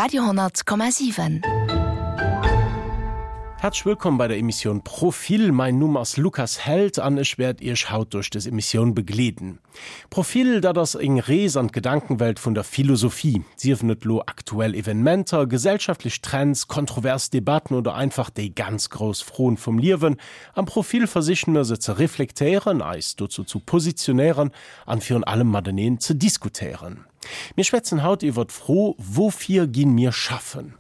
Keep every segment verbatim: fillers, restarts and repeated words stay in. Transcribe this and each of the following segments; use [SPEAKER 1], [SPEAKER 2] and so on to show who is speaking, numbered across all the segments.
[SPEAKER 1] Radio hundert Komma siwen.
[SPEAKER 2] Häerzlech wëllkomm bei der Emissioun Profil. Mein Numm ass Lukas Held an ech wäert Iech haut duerch des Emissioun begleeden. Profil, dat ass eng Rees an d'Gedankenwelt vun der Philosophie. Siefen et lo aktuell Evenementer, gesellschaftlech Trends, kontrovers Debatten oder einfach déi ganz grouss Froen vum Liewen. Am Profil versichen mir se ze reflektéieren, eis dozou zu positionéieren an virun allem mateneen ze diskutéieren. Mir schwätzen haut iwwer d'Fro, Wofir ginn mir schaffen?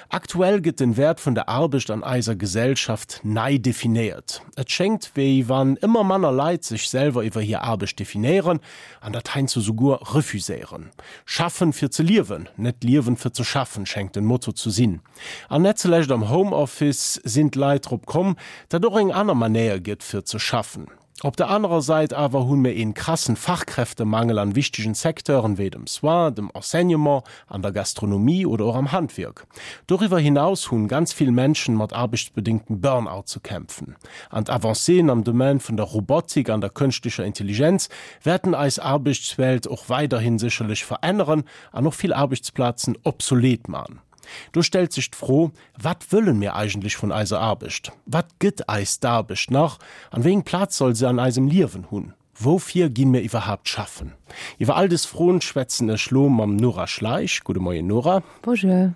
[SPEAKER 2] Aktuell gëtt den Wäert vun der Aarbecht an eiser Gesellschaft nei definéiert. Et schéngt, wéi wann ëmmer manner Leit sech selwer iwwer hir Aarbecht definéieren an dat heiansdo souguer refuséieren. Schaffen fir ze liewen, net liewen fir ze schaffen, schéngt den Motto ze sinn. An net zulescht am Homeoffice sinn d'Leit drop komm, dat och eng aner Manéier gëtt fir ze schaffen. Op der anerer Säit awer hunn mir een krassen Fachkräftemangel an wichtegen Secteuren wéi dem Soin, dem Enseignement, an der Gastronomie oder och am Handwierk. Doriwwer hinaus hunn ganz vill Menschen mat aarbechtsbedingtem Burnout ze kämpfen. An d'Avancéen am Domaine vun der Robotik an der kënschtlecher Intelligenz wäerten eis Aarbechtswelt och weiderhin sécherlech veränneren an och vill Aarbechtsplazen obsolet man. Do stellt sech d'Fro, wat wëllen mir eigentlech vun eiser Aarbecht? Wat gëtt eis d'Aarbecht nach? An wéi eng Plaz soll se an eisem Liewen hunn? Woufir ginn mir iwwerhaapt schaffen? Iwwer all des Froen schwätzen ech lo mam Nora Schleich. Gudde Moien Nora.
[SPEAKER 3] Bonjour.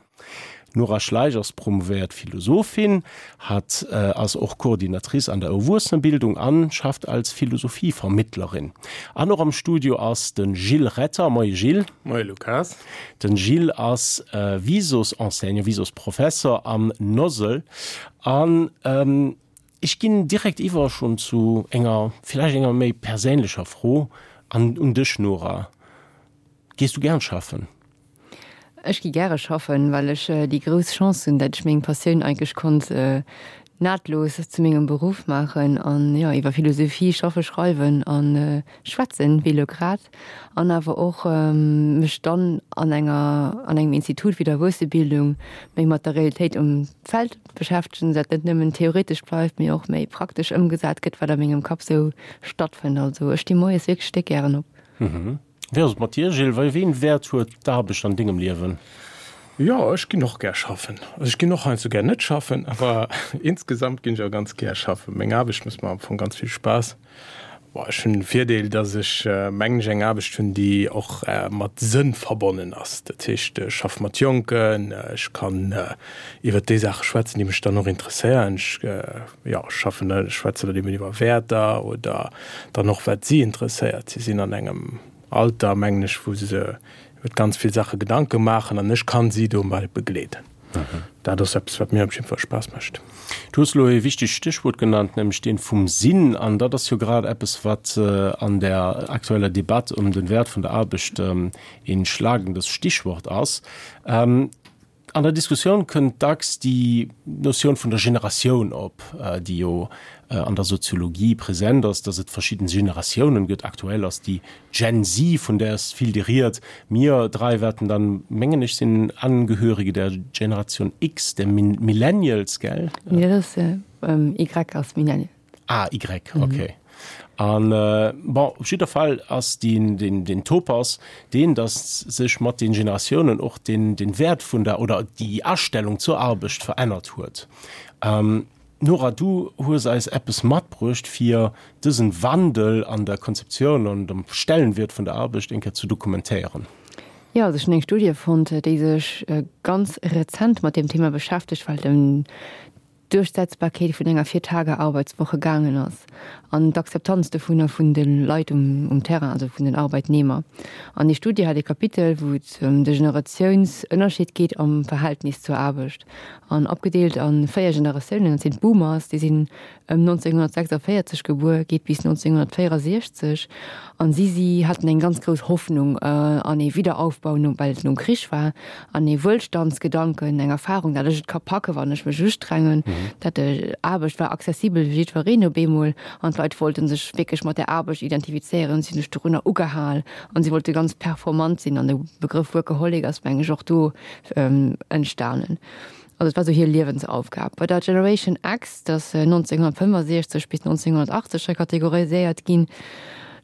[SPEAKER 2] Nora Schleich ass promovéiert Philosophin, hat äh, ass och Coordinatrice an der Erwuessenebildung an schafft als Philosophievermittlerin. An och am Studio ass den Gilles Retter. Moie Gilles.
[SPEAKER 4] Moie Lukas.
[SPEAKER 2] Den Gilles ass äh, Visus-Enseignant, Visus-Professor am Nosel. An ähm, ech ginn direkt iwwer schonn zu enger vläicht enger méi perséinlecher Fro an un dech Nora. Gees du gern schaffen?
[SPEAKER 3] Ech gi gäre schaffen, well ech déi grouss Chance hunn, dat ech meng Passioun eigentlech konnt nahtlos zu mengem Beruff maachen an jo iwwer Philosophie schaffe, schreiwen an schwätzen, wéi elo grad, an awer och mech dann an enger an engem Institut wéi der Erwuessebildung méi mat der Realitéit um Feld beschäftegen, dat net nëmmen theoretesch bleift, mee och méi praktesch ëmgesat gëtt, wat a mengem Kapp sou stattfënnt. Also ech sti moies wierklech déck gären op.
[SPEAKER 2] Wéi ass et mat dir, Gilles? Wéi een Wäert huet d'Aarbecht an dengem Liewen?
[SPEAKER 4] Jo, ech ginn och gär schaffen. Also ech ginn och heiansdo gär net schaffen, awer insgesamt ginn ech awer ganz gär schaffen. Meng Aarbecht mécht mer am Fong ganz vill Spaass. Boah, ech hunn den Virdeel, dass ech, mengen ech, eng Aarbecht hunn, déi och mat Sënn verbonnen ass. Dat heescht, ech schaffe mat Jonken, ech kann iwwert déi Saache schwätzen, déi mech dann och interesséieren. Ech, jo, schaffen, schwätze dann eben iwwer Wäerter oder dann och wat si interesséiert. Si sinn an engem Alter, mengen ech, wou se iwwer ganz vill Saache Gedanke maachen an ech kann si dobäi begleeden. Dat ass eppes, wat mir op jidde Fall Spaass mécht.
[SPEAKER 2] Du hues elo e wichtegt Stéchwuert genannt, nämlech dee vum Sinn. An dat ass jo grad eppes, wat an der aktueller Debatt ëm den Wäert vun der Aarbecht een schlagendes Stichwort ass. An der Diskussioun kënnt dacks déi Notioun vun der Generatioun op, déi jo an der Soziologie present ass, dass et verschidden Generatiounen gëtt. Aktuell ass déi Gen Z, vun där ass vill déi Ried. Mir dräi wäerten dann, mengen ech, sinn Angehörige der Generation X, der Millennials, gell?
[SPEAKER 3] Nee, dat ass Y ass Millennial.
[SPEAKER 2] Ah, Y, okay. An bon, op jidder Fall ass deen, deen, deen Topos deen, datt sech mat den Generatiounen och den, den Wäert vun der oder déi Astellung zur Aarbecht verännert huet. Nora, du hues eis eppes matbruecht, fir dësen Wandel an der Konzeptioun an dem Stellenwert vun der Aarbecht eng Kéier ze dokumentéieren.
[SPEAKER 3] Jo, also ech hunn eng Studie fonnt, déi sech ganz rezent mat deem Thema beschäftegt, well den d'Duerchsetzbarkeet vun enger Vier-Tage-Arbeitswoche gaangen ass an d'Akzeptanz dovunner vun de Leit um Terrain, also vun den Arbeitnehmer. An déi Studie hat e Kapitel, wou et ëm de Generatiounsënnerscheed geet am Verhältnis zur Aarbecht an opgedeelt a véier Generatiounen. Dat sinn d'Boomers, déi sinn ëm nonzénghunnertsechsundvéierzeg gebuer, geet bis nonzénghunnertvéierundsechzeg. An si si haten eng ganz grouss Hoffnung an ee Wiederaufbau no, well et nom Krich war, an ee Wuelstandsgedanken, eng Erfahrung, dat ech et ka packe wann ech mech ustrengen, dat Aarbecht war accessibel fir jiddwereen op eemol an d'Leit wollten sech wierklech mat der Aarbecht identifizéieren, si hunn sech dorunner ugehal an si wollte ganz performant sinn an de Begrëff Workaholic ass meng ech och do entstanen. Also et war sou hir Liewensaufgab. Bei der Generation X, dat ass nonzénghunnertfënnefasiechzeg bis nonzénghunnertachtzeg hei kategoriséiert ginn,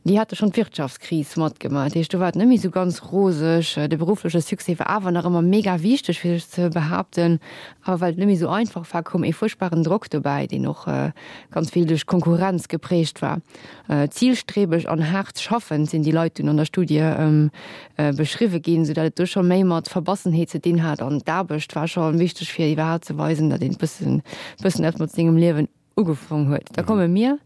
[SPEAKER 3] Déi hate schonn d'Wirtschaftskris matgemaach, dat heescht do war et net méi esou ganz roseg. De beruffleche Succès war awer nach ëmmer mega wichteg fir sech ze behaapten, awer well et net méi esou einfach war, koum ee fuerchtbaren Drock dobäi, deen och ganz vill duerch Konkurrenz geprägt war. Zilstrebeg an haart schaffend sinn déi Leit dunn an der Studie beschriwwe ginn, soudatt et do scho méi mat Verbassenheet ze dinn hat an d'Aarbecht war scho wichteg fir iwwerhaapt ze weisen, datt een e bëssen bëssen eppes mat sengem Liewen ugefong huet. Da komme mir,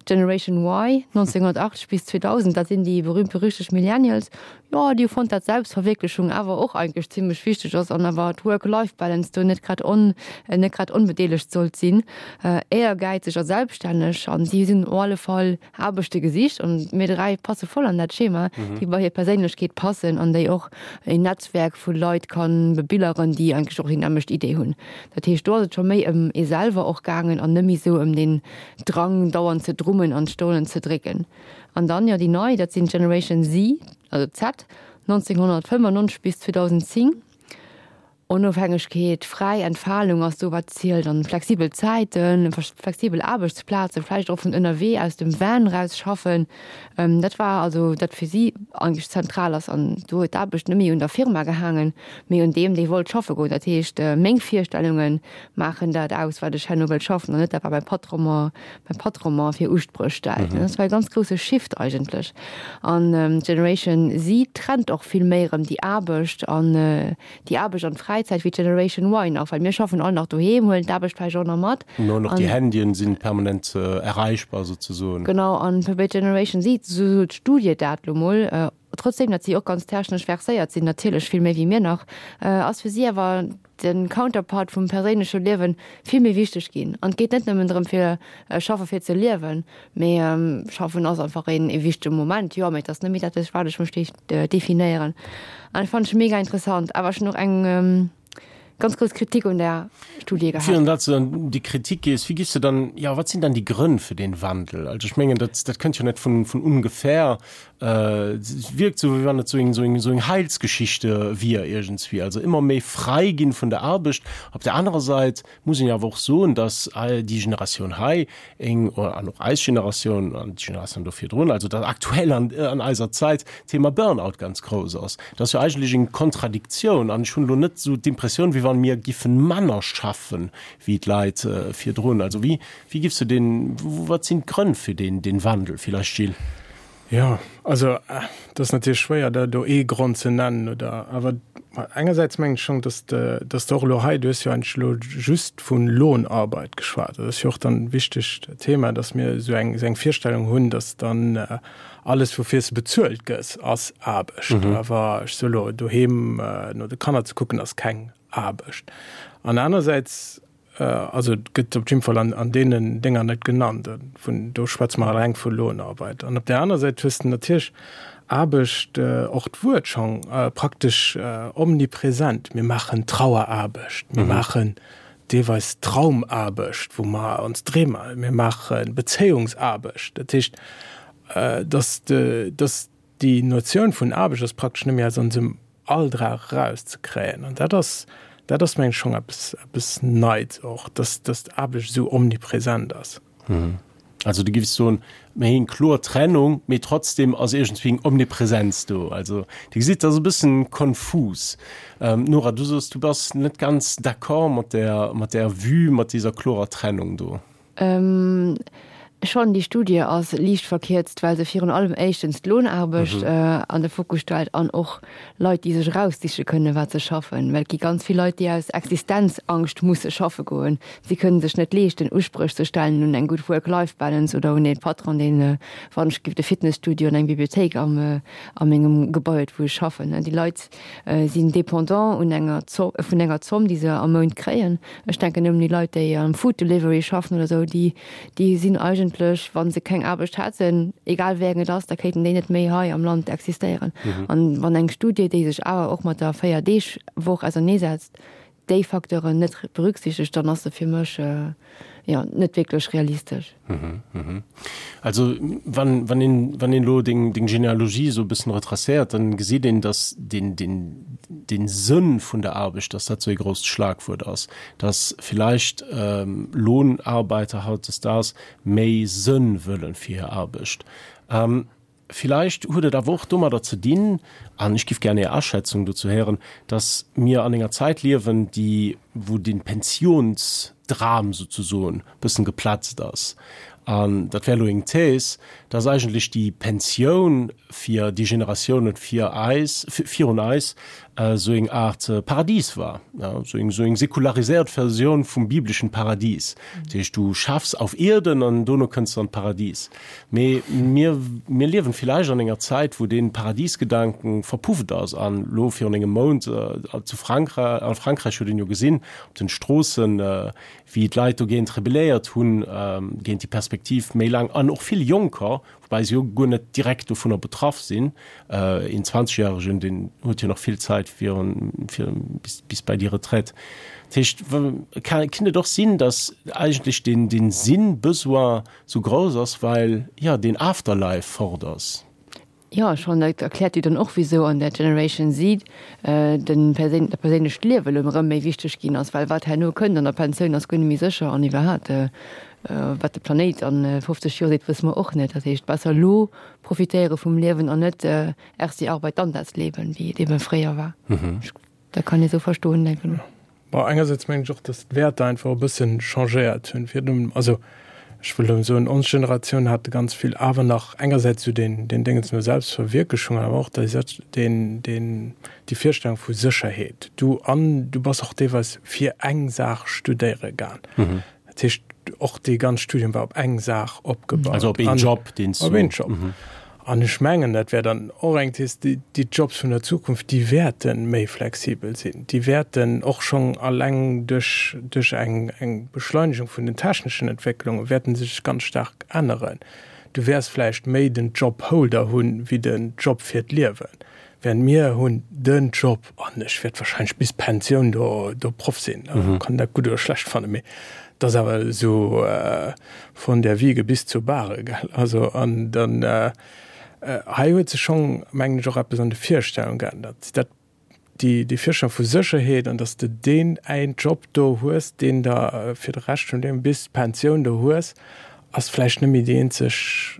[SPEAKER 3] d'Generation Y, nonzénghunnertachtzeg bis zweedausend, dat sinn déi berühmt-berüchtegt Millennials, jo, déi hu fonnt, dat Selbstverwierklechung awer och eigentlech zimlech wichteg ass an awer d'Work-Life-Balance do net grad on, net grad onbedeelegt sollt sinn. Éiergäizeg a selbststänneg an si sinn op alle Fall Aarbechte gesicht an mir dräi passe voll an dat Schema, déi bei hir Perséinlechkeet passen an déi och een Netzwerk vu Leit kann bebilleren, déi eigentlech och déi nämmlecht Idee hunn. Dat heescht, do ass et scho méi ëm ee selwer och gaangen an net méi esou ëm deen Drang, dauernd ze drummen an d'Stollen ze drécken. An dann, jo, déi nei, dat sinn d'Generation Z, also Z, nonzénghunnertfënnennonzeg bis zweedausendzéng. Onofhängegkeet, fräi Entfalung ass do wat zielt an flexibel Zäiten, flexibel Aarbechtsplazen, vläicht och vun ënnerwee aus dem Van raus schaffen. Dat war also dat fir si eigentlech zentral ass an do huet d'Aarbecht net méi un der Firma gehaangen, mee un deem dee wollt schaffe goen. Dat heescht meng Virstellunge maachen dat aus wat ech herno wëll schaffen an net dat wat mäi Patron mer mäi Patron mer fir Uspréch stellt. Dat war e ganz grousse Shift eigentlech an d'Generation Z trennt och vill méi erëm déi Aarbecht an déi Aarbecht an d'Fräizäit wéi d'Generation Y nach, well mir schaffen all nach doheem, huelen d'Aarbecht vläicht och nach mat.
[SPEAKER 2] An och déi Handyen sinn permanent erreichbar souzesoen.
[SPEAKER 3] Genau, an bei Generation Z, esou sot d'Studie dat lo mol, trotzdem datt si och ganz technesch verséiert sinn, natierlech vill méi wéi mir nach, ass fir si awer de Counterpart vum perséinleche Liewen vill méi wichteg ginn. An et geet net nëmmen drëm fir schaffe fir ze liewen, mee schaffen ass einfach een ee wichtege Moment, jo, mee et ass net méi dat duerch wat ech mech definéieren. An dat fannen ech mega interessant. Awer ech hunn och eng ganz grouss Kritik un där Studie gehat.
[SPEAKER 2] Virun datt s de an déi Kritik gees, wéi giffs de dann, jo, wat sinn dann déi Grënn fir dee Wandel? Also ech mengen, dat dat kënnt jo net vun vun ungefähr. Et wierkt esou, wéi wann et esou eng esou eng esou eng Heilsgeschichte wier iergendswéi. Also ëmmer méi fräi ginn vun der Aarbecht. Op der anerer Säit muss een jo awer och soen, datt déi Generatioun hei eng, an och eis Generatioun an déi Generatioun do virdrun, also datt aktuell an an eiser Zäit d'Thema Burnout ganz grouss ass. Dat ass jo eigentlech eng Kontradiktioun an ech hunn elo net esou d'Impressioun, wéi wann mir giffen manner schaffen wéi d'Leit virdrun. Also wéi wéi giffs du deen, wat sinn d'Grënn fir deen deen Wandel vielleicht, Gilles?
[SPEAKER 4] Jo, also et ass natierlech schwéier da do ee Grond ze nennen oder, awer engersäits mengen ech schonn, datt de, datt de och elo hei, du hues jo eigentlech elo just vu Lohnarbeit geschwat, dat ass jo och dann e wichtegt Thema, datt mir esou eng, esou eng Virstellung hunn, datt dann alles woufir s de bezuelt gëss ass Aarbecht. Awer ech soe elo, doheem no de Kanner ze kucken ass keng Aarbecht. An anersäits, also et gëtt op jidde Fall an, an deenen Dénger net genannt, vun do schwätze mer eleng vu Lohnarbeit. An op där aner Säit hues de natierlech Aarbecht, och d'Wuert schonn praktesch omnipresent. Mir maachen Traueraarbecht, mir maachen deelweis Traumaarbecht, wou mer ons Dreem, mir maache Bezéiungsaarbecht. Dat heescht, dass de, dass déi Notioun vun Aarbecht ass praktesch net méi aus onsem Alldrag erauszekréien. An dat ass, dat ass meng ech schonn eppes, eppes Neits och, dass, dass d'Aarbecht esou omnipresent ass.
[SPEAKER 2] Also du giffs soen, mir hu eng kloer Trennung, mee trotzdem ass iergendswéi eng Omnipresenz do. Also Dir gesitt, dat ass e bëssen konfus. Nora, du soos, du bass net ganz d'accord mat där, mat där Vue, mat dieser klorer Trennung do.
[SPEAKER 3] Schonn, déi Studie ass liicht verkierzt, well se virun allem éischtens d'Lohnaarbecht an de Fokus stellt an och Leit, déi sech eraussiche kënnen, wat se schaffen. Well et gi ganz vill Leit, déi aus Existenzangscht musse schaffe goen. Si kënnen sech net leeschten, Uspréch ze stellen un eng gutt Work-Life-Balance oder un ee Patron, deen, wann ech giff de Fitnesstudio an eng Bibliothéik am a mengem Gebai huet, wou ech schaffen. Déi Leit sinn dépendant un enger vun enger Zomm, déi se am Mount kréien. Ech denken nëmmen un déi Leit, déi am Food Delivery schaffen oder esou, déi déi sinn eigentlech, wa se keng Aarbecht hätten, egal wéi eng et ass, da kéinten déi net méi hei am Land existéieren. An wann eng Studie, déi sech awer och mat der Véier-Deeg-Woch auserneesetzt, déi Facteuren net berücksichtegt, dann ass se fir mech, jo, net wierklech realistesch.
[SPEAKER 2] Also wann, wann een, wann een elo deng, deng Genealogie esou e bëssen retracéiert, dann geséit een, dass den, den, den Sënn vun der Aarbecht, dass dat esou ee grousst Schlagwuert ass, dass villäicht Lohnarbeiter hautdesdaags méi Sënn wëllen fir hir Aarbecht. Villäicht huet et awer och domadder ze dinn, an ech giff gär Är Aschätzung dozou héieren, dass mir an enger Zäit liewen, déi, wou den Pensiounsdram souzesoen bëssen geplatzt ass. An dat wär elo eng These, dass eigentlech déi Pensioun fir déi Generatiounen fir eis, virun eis, esou eng Aart Paradies war, esou eng, esou eng säkulariséiert Versioun vum bibleschen Paradies. Dat heescht, du schaffs auf Erden an dono kënns de an d'Paradies. Mee mir, mir liewen villäicht an enger Zäit, wou dee Paradiesgedanken verpufft ass. An elo virun engem Mount zu Frankräich, a Frankräich huet een jo gesinn op den Stroossen, wéi d'Leit dogéint rebelléiert hunn, géint déi Perspektiv méi laang, an och vill Jonker, woubäi se jo guer net direkt dovunner betraff sinn. Een Zwanzegjäregen, deen huet jo nach vill Zäit virun, fir bis, bis bei déi Retraite. Dat heescht, kinnt et och sinn, datt eigentlech deen, deen Sinn-Besoin sou grouss ass, well, jo, deen Afterlife fort ass?
[SPEAKER 3] Jo, schonn. Dat erkläert jo dann och, wisou an der Generation Z den perséin, dat perséinlecht Liewe elo erëm méi wichteg ginn ass, well wat herno kënnt an der Pensioun ass guer net méi sécher an iwwerhaapt, wat de Planéit a fofzeg Joer seet, wësse mer och net. Dat heescht, besser elo profitéiere vum Liewen an net erst die Arbeit, dann das Leben, wéi et ebe fréier war. Dat kann ee sou verstoen, denken ech.
[SPEAKER 4] Bon, engersäits mengen ech och, datt d'Wäerter einfach e bëssen changéiert hunn. Virdrun, also ech wëll elo soen, ons Generatioun hat ganz vill awer nach engersäits esou deen, deen Déngens no Selbstverwierklechung, awer och déi, deen, deen, déi Virstellung vu Sécherheet. Du, an du bass och deelweis fir eng Saach studéiere gaang. Dat heescht, och dee ganz Studium war op eng Saach opgebaut.
[SPEAKER 2] Also op een Job, deen s du.
[SPEAKER 4] Op een Job. An ech mengen, dat wär dann och eng Thees, déi Jobs vun der Zukunft, déi wäerte méi flexibel sinn, déi wäerten och schonn alleng duerch, duerch eng, eng Beschleunegung vun den techneschen Entwécklunge wäerte sech ganz staark änneren. Du wäers vläicht méi den Jobholder hunn, wéi den Job fir d'Liewen. Während mir hunn den Job an ech wäert wahrscheinlech bis d'Pensioun do, do Proff sinn. Kann dat gutt oder schlecht fannen, mee et ass awer esou von der Wiege bis zur Bahre, gell. Also an dann hei huet sech schonn, mengen ech, och eppes an de Virstellung geännert. Dat déi, déi Virstellung vu Sécherheet an datt s de deen een Job do hues, deen der fir de Rescht vun dengem bis d'Pensioun do hues, ass vläicht net méi déi eenzeg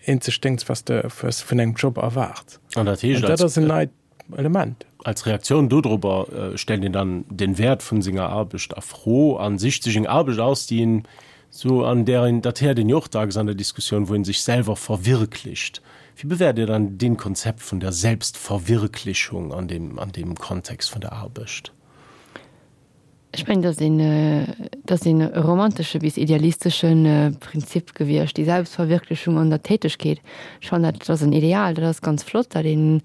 [SPEAKER 4] eenzeg Déngs, was de was vun engem Job erwaart.
[SPEAKER 2] An dat heescht,
[SPEAKER 4] An dat ass en neit Element.
[SPEAKER 2] Als Reaktioun dodrobber stellt een dann den Wäert vun senger Aarbecht a Fro an sicht sech eng Aarbecht aus, déi een sou an där een, dat héiert een jo och dacks an der Diskussioun, wou een sech selwer verwirklicht. Wéi bewäert Dir dann deen Konzept vun der Selbstverwirklichung an deem an deem Kontext vun der Aarbecht?
[SPEAKER 3] Ech mengen, dat ass een, dat ass een romantesche bis idealistesche Prinzip gewiescht, déi Selbstverwirklichung an der Tätegkeet. Ech fannen dat, dat ass en Ideal, dat ass ganz flott, datt ee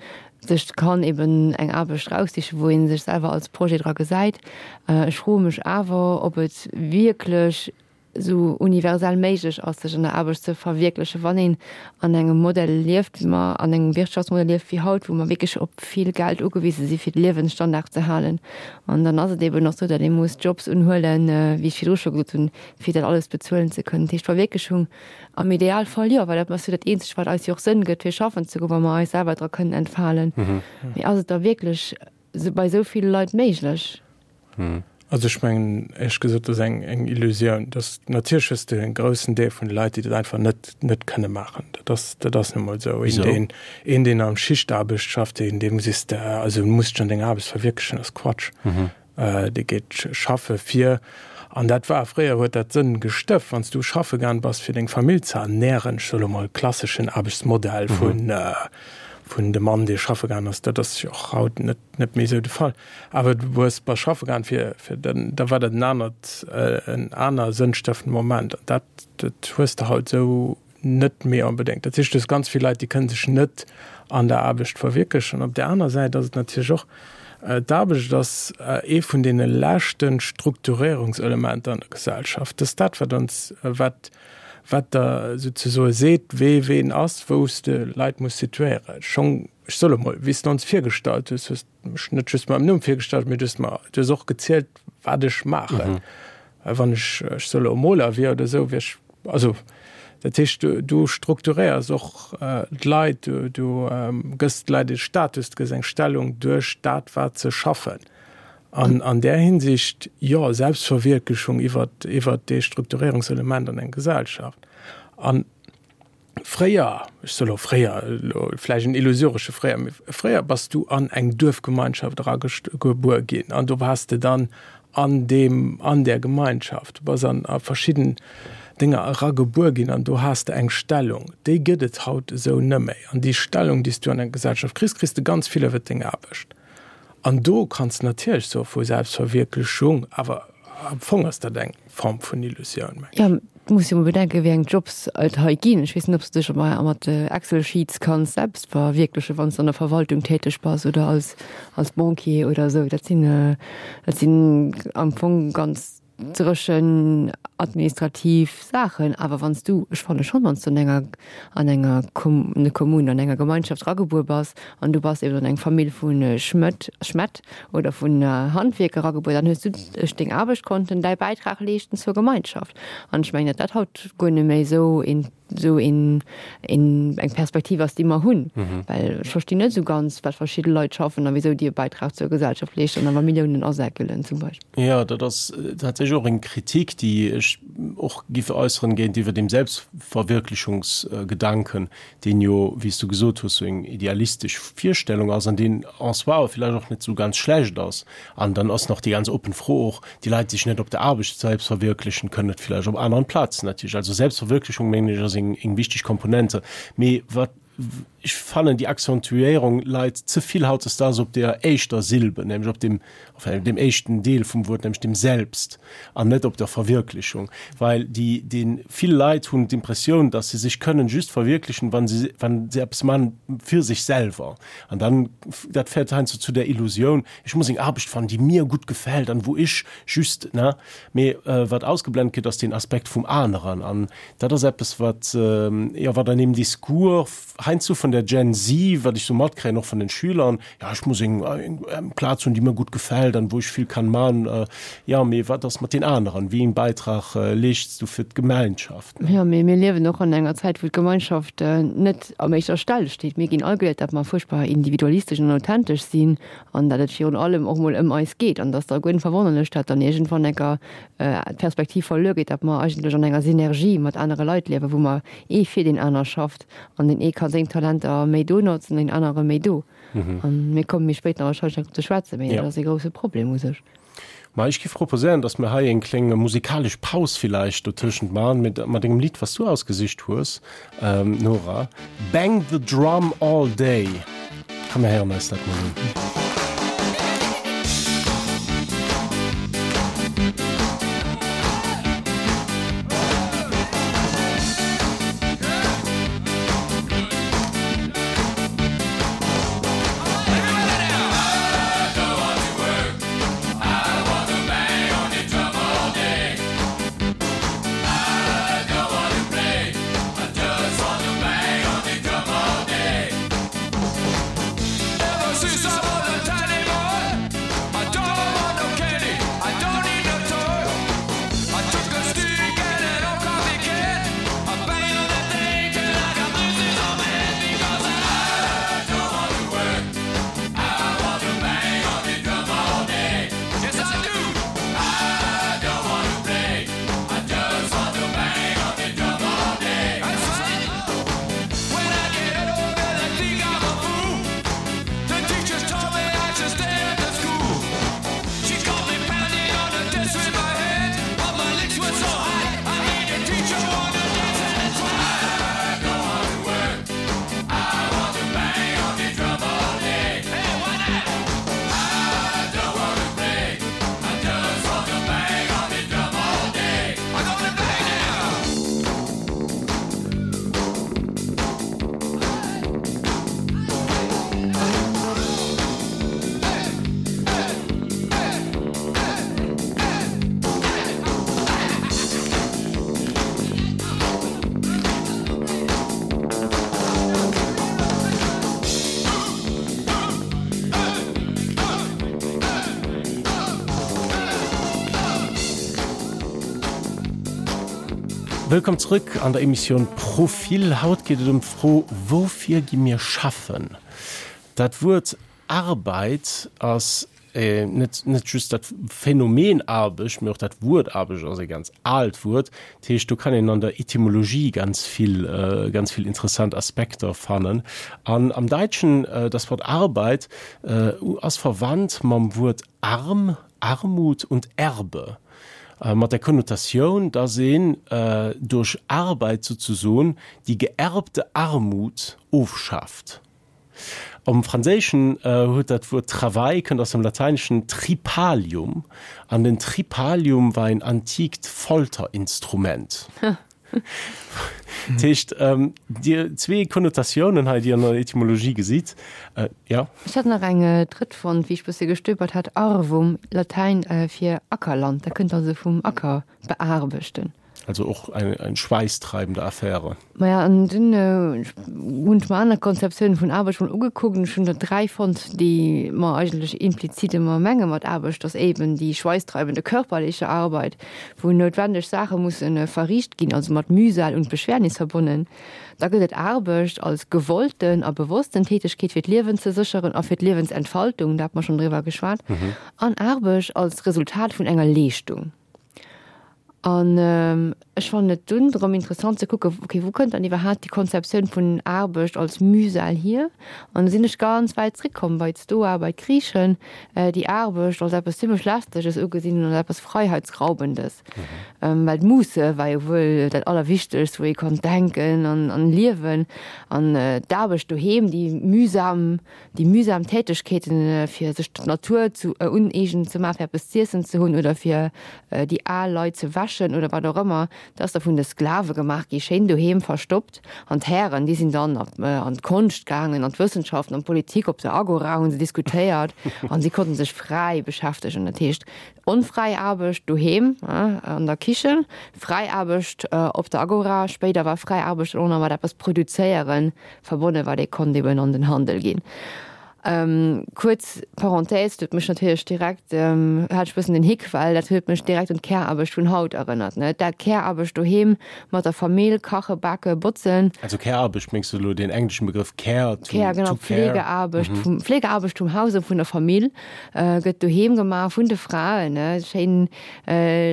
[SPEAKER 3] sech kann eben eng Aarbecht eraussichen, wou ee sech selwer als Projet dra gesäit. Ech froe mech awer, ob et wierklech esou universell méiglech ass, sech an der Aarbecht ze verwierklechen, wann een an engem Modell lieft, wéi mer an engem Wirtschaftsmodell lieft wéi haut, wou mer wierklech op vill Geld ugewise si fir de Liewensstandard ze halen. An dann ass et eben och esou, datt ee muss Jobs unhuelen, wéi ech virdru scho gesot hunn, fir dat alles bezuelen ze kënnen. Dat heescht, Verwierklechung am Idealfall jo, well dat ass jo dat Eenzegt, wat eis jo och Sënn gëtt, fir schaffen ze goen, wa mer eis selwer dra kënnen entfalen. Mee ass et da wierklech bei esou ville Leit méiglech?
[SPEAKER 4] Also ech mengen éierlech gesot, dat ass eng eng Illusioun. Dass natierlech hues de e groussen Deel vun de Leit, déi dat einfach net net kënne maachen. Dat ass dat ass nu mol esou. Een deen een deen am Schichtaarbecht schafft, deen deem sees de, also du muss dech an denger Aarbecht verwierklechen, ass Quatsch. Dee geet schaffe fir, an dat war fréier huet dat Sënn gestëft, wann s du schaffe gaang bass fir deng Famill ze ernähren, ech soe lo mol klasseschen Aarbechtsmodell vun vun dem Mann dee schaffe gaang ass, dat ass jo och haut net net méi esou de Fall. Awer du hues bass schaffe gaang fir fir dann da war dat en anert en aner sënnstëftende Moment an dat dat hues de haut esou net méi onbedéngt. Dat heescht, du hues ganz vill Leit, déi kënne sech net an der Aarbecht verwierklechen. Op där aner Säit ass et natierlech och, d'Aarbecht ass ee vun deene leschte Strukturierungselementer an der Gesellschaft. Dat ass dat, wat ons wat wat der souzesoe seet, wee ween ass, wou s de Leit muss situéieren. Schonn, ech soe lo mol, wéi s de ons virgestallt hues, hues de mech net just mam Numm virgestallt, mee du hues mer, du hues och gezielt, wat ech maachen. Wann ech, ech soe lo, Moler wier oder esou, wier ech, also dat heescht, du, du strukturéiers och d'Leit, du, du gëss de Leit e Status, du gëss eng Stellung duerch dat, wat se schaffen. An an där Hinsicht, jo, Selbstverwierklechung iwwer, iwwer dee Strukturierungselement an enger Gesellschaft. A Fréier, ech soe lo fréier, elo vläicht en illusoresche fréier, mee fréier bass du an eng Duerfgemeinschaft eragebuer ginn an do waars de dann an deem, an där Gemeinschaft. Du bass an a verschidden Dénger eragebuer ginn an do has de eng Stellung. Déi gëtt et haut esou nëmméi. An déi Stellung, déi s du an enger Gesellschaft kriss, kriss de ganz vill iwwert deng Aarbecht. An do kanns de natierlech soe vu Selbstverwierklechung, awer am Fong ass dat eng Form vun Illusioun, mengen ech.
[SPEAKER 3] Jo, du muss jo mol bedenken, wéi eng Jobs et hei ginn. Ech weess net, ob s de dech mat Excel-Sheets kanns selbst verwierklechen, wann s de an der Verwaltung täteg bass oder als als Banquier oder esou. Dat sinn, dat sinn am Fong ganz dréchen administrativ Saachen. Awer wann s du, ech fanne schonn, wann s du an enger an enger Kommune, an enger Gemeinschaft eragebuer bass an du bass eben an eng Famill vu Schmëtt, Schmett oder vun Handwierker eragebuer, dann hues du duerch deng Aarbecht konnten däi Bäitrag leeschten zur Gemeinschaft. An ech mengen, datt dat haut guer net méi esou een esou een een eng Perspektiv ass, déi mer hunn. Well ech verstinn net esou ganz, wat verschidde Leit schaffen a wisou déi e Bäitrag zur Gesellschaft leeschten an awer Milliounen asäckelen zum Beispill.
[SPEAKER 2] Jo, dat ass tatsächlech och eng Kritik, déi ech och giff äusseren géintiwwer dem Selbstverwirklichungsgedanken, deen jo, wéi s du gesot hues, sou eng idealistesch Virstellung ass an deen en soi awer villäicht och net sou ganz schlecht ass. An dann ass nach déi ganz oppen Fro och, déi Leit, déi sech net op der Aarbecht selbst verwirklichen, kënnen et villäicht op aneren Plazen natierlech. Also Selbstverwirklichung, mengen ech, ass eng eng wichteg Komponente. Mee wat ech fannen, déi Accentuéierung leit ze vill hautdesdaags op der éischter Silbe, nämlech op dem, enfin dem éischten Deel vum Wuert, nämlech dem Selbst, an net op der Verwirklichung. Well déi, dee vill Leit hunn d'Impressioun, dass se sech kënnen just verwirklichen, wann se, wann se eppes man fir sech selwer. An dann, dat féiert heiansdo zu der Illusioun, ech muss eng Aarbecht fannen, déi mir gutt gefält an wou ech just, ne? Mee wat ausgeblent gëtt, ass deen Aspekt vum aneren. An dat ass eppes, wat, jo, wat an deem Discours heiansdo vun der Gen Z, wat ech sou matkréien, och vun den Schülern, jo, ech muss eng, eng Plaz hunn, déi mir gutt gefält an wou ech vill kann man. Jo, mee wat ass mat den aneren? Wéi een Beitrag leeschts du fir d'Gemeinschaft?
[SPEAKER 3] Jo, mee mir liewen och an enger Zäit, wou d'Gemeinschaft net am éischter Stell steet. Mir ginn all geléiert, datt mer fuerchtbar individualistesch an authentesch sinn an datt et virun allem och mol ëm eis geet an datt da guer net verwonnerlech, datt dann iergendwann enker d'Perspektiv verluer geet, datt mer eigentlech an enger Synergie mat anere Leit liewen, wou mer ee fir deen aner schafft an deen ee ka seng Talenter méi do notzen, deen anere méi do. An mir komme méi spéit nach wahrscheinlech nach drop ze schwätzen, mee dat ass ee grousse Problem u sech.
[SPEAKER 2] Ma ech giff proposéieren, dass mir hei eng kléng musikalesch Paus villäicht dotëschent man, mit mat engem Lidd, was du ausgesicht hues, Nora, Bang the Drum All Day. Komm mir héieren eis dat mol un. Wëllkomm zrëck an der Emissioun Profil. Haut geet et ëm d'Fro, Woufir gi mir schaffen? Dat Wuert Arbeit ass net net just dat Phänomen Aarbecht, mee och dat Wuert Aarbecht ass e ganz aalt Wuert. Dat heescht, do kann een an der Etymologie ganz vill ganz vill interessant Aspekter fannen. An am Däitschen, das Wort Arbeit ass verwandt mam Wuert arm, Armut und Erbe, mat der Konnotatioun, dass een duerch Arbeit souzesoen déi geerbte Armut ofschaaft. Am Franséischen huet dat Wuert Travail kënnt aus dem Lateineschen tripalium an den Tripalium war en antikt Folterinstrument. Dat heescht, Dir zwee Konnotatiounen hei, déi an der Etymologie gesitt, jo.
[SPEAKER 3] Ech hat nach eng drëtt fonnt, wéi ech bësse gestöbert hat, arvum, Latäin fir Ackerland, dat kënnt also vum Acker bearbechten.
[SPEAKER 2] Also och eng eng schweißtreibende Affäre.
[SPEAKER 3] Maja, an dunn hunn ech mer aner Konzeptiounen vun Aarbecht mol ugekuckt an ech hunn der dräi fonnt, déi mer eigentlech implizit ëmmer menge mat Aarbecht, dass eben déi schweißtreibende körperliche Arbeit, wou noutwendeg Saache musse verriicht ginn, also mat Mühsal und Beschwernis verbonnen. Da gëtt et Aarbecht als gewollten a bewossten Tätigkeet fir d'Liewen ze sécheren a fir d'Liewensentfaltung, da hat mer schonn driwwer geschwat, an Aarbecht als Resultat vun enger Leeschtung. An ech fannen et dunn erëm interessant ze kucken, okay, wou kënnt dann iwwerhaapt déi Konzeptioun vun Aarbecht als Mühsal hier? An do sinn ech ganz wäit zréckkomm bei d'Stoa, bei d'Griichen, déi Aarbecht als eppes zimmlech Lästeges ugesinn hunn, als eppes Freiheitsraubendes. Well d'Musse war jo wuel dat Allerwichtegst, wou ee konnt denken an liewen. An d'Aarbecht doheem, déi mühsam, déi mühsam Tätegkeeten, fir sech d'Natur zu uneegen ze maachen, fir eppes z'iessen ze hunn oder fir déi al Leit ze wäschen oder wat och ëmmer, dat ass da vun de Sklave gemaach gi, schéin doheem verstoppt. An d'Hären, déi sinn dann an d'Konscht gaangen, an d'Wëssenschaften, an d'Politik, op der Agora hu se diskutéiert an si konnten sech fräi beschäftegen. Dat heescht, onfräi Aarbecht doheem an der Kichen, fräi Aarbecht op der Agora. Spéider war fräi Aarbecht dann och nach mat eppes produzéieren verbonnen, wat ee konnt eben an den Handel ginn. Kuerz Parenthèse, dat huet mech natierlech direkt, hat ech e bëssen den Hick, well dat huet mech direkt un d'Care-Aarbecht vun haut erënnert, ne, dat Care-Aarbecht doheem mat der Famill, kache, bake, botzen.
[SPEAKER 2] Also Care-Aarbecht, mengs du elo deen engleschen Begrëff Care, to,
[SPEAKER 3] Care, genau,
[SPEAKER 2] to care?
[SPEAKER 3] Pflegeaarbecht vum, Pflegeaarbecht vum Haus a vun der Famill gëtt doheem gemaach vun de Fraen, ne, schéin,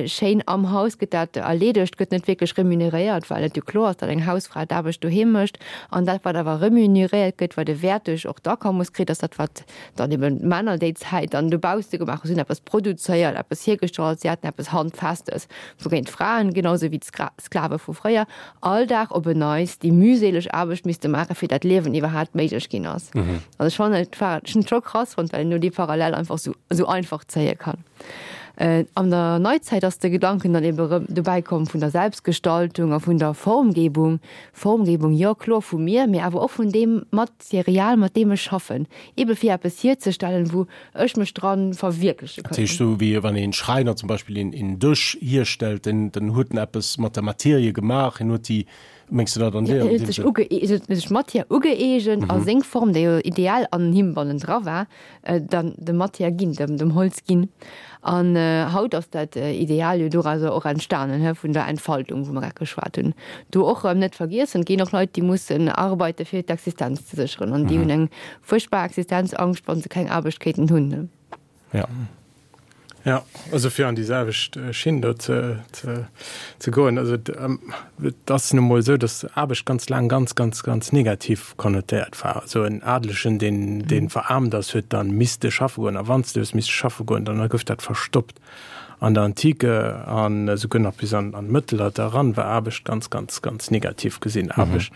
[SPEAKER 3] schéin am Haus gëtt dat erleedegt, gëtt net wierklech remuneréiert, well et jo kloer ass, datt eng Hausfra d'Aarbecht doheem mécht. An dat, wat awer remuneréiert gëtt, wat e Wäert duerch och d'Akommes kritt, ass dat, wat dann eben d'Männer déi Zäit dann dobausse gemaach hunn. Si hunn eppes produzéiert, eppes hiergestallt, si haten eppes Handfestes, wougéint d'Fraen, genau esou wéi d'Sklave vu fréier, all Dag op en Neits déi mühseleg Aarbecht misste maachen, fir dat Liewen iwwerhaapt méiglech ginn ass. Also ech fannen, et war, ech hunn et scho krass fonnt, well een do déi Parallel einfach esou, esou einfach zéie kann. An der Neizäit ass de Gedanken dann ebe rëm dobäi komm vun der Selbstgestaltung a vun der Formgebung. Formgebung, jo kloer vu mir, mee awer och vun deem Material, mat deem ech schaffen, ebe fir eppes hierzestellen, wou ech mech dra verwierkleche
[SPEAKER 2] Dat heescht,
[SPEAKER 3] kann.
[SPEAKER 2] esou wéi wann een Schräiner zum Beispill een, een Dësch hierstellt, den, dann huet en eppes mat der Materie gemaach, en huet déi, mengs de dat an
[SPEAKER 3] Jo,
[SPEAKER 2] deer,
[SPEAKER 3] en
[SPEAKER 2] an
[SPEAKER 3] huet
[SPEAKER 2] deem
[SPEAKER 3] sech
[SPEAKER 2] Sënn?
[SPEAKER 3] uge, en huet sech d'Matière ugëeegent a seng Form, déi jo ideal an him bannendra war, dann dem Matière ginn, dem, dem Holz ginn. An haut ass dat Ideal jo dorauser och entstanen, he, vun der Entfaltung, wou mer grad geschwat hunn. Do och erëm net vergiessen, et ginn och Leit, déi mussen arbeite fir d'Existenz ze sécheren an déi hunn eng fuerchtbar Existenzangscht, wa se keng Aarbecht kéinten hunn.
[SPEAKER 2] Ja.
[SPEAKER 4] Ja, also fir an déi selwecht Schinn do ze, ze, ze goen. Also et ass nu mol esou, datt Aarbecht ganz laang ganz, ganz, ganz negativ konnotéiert war. Also en Adelegen, deen, deen veraarmt ass, huet dann misste schaffe goen. A wann s de hues misste schaffe goen, dann gouf dat verstoppt. An der Antike an esouguer nach bis an, an d'Mëttelalter eran war Aarbecht ganz, ganz, ganz negativ gesinn. Aarbecht,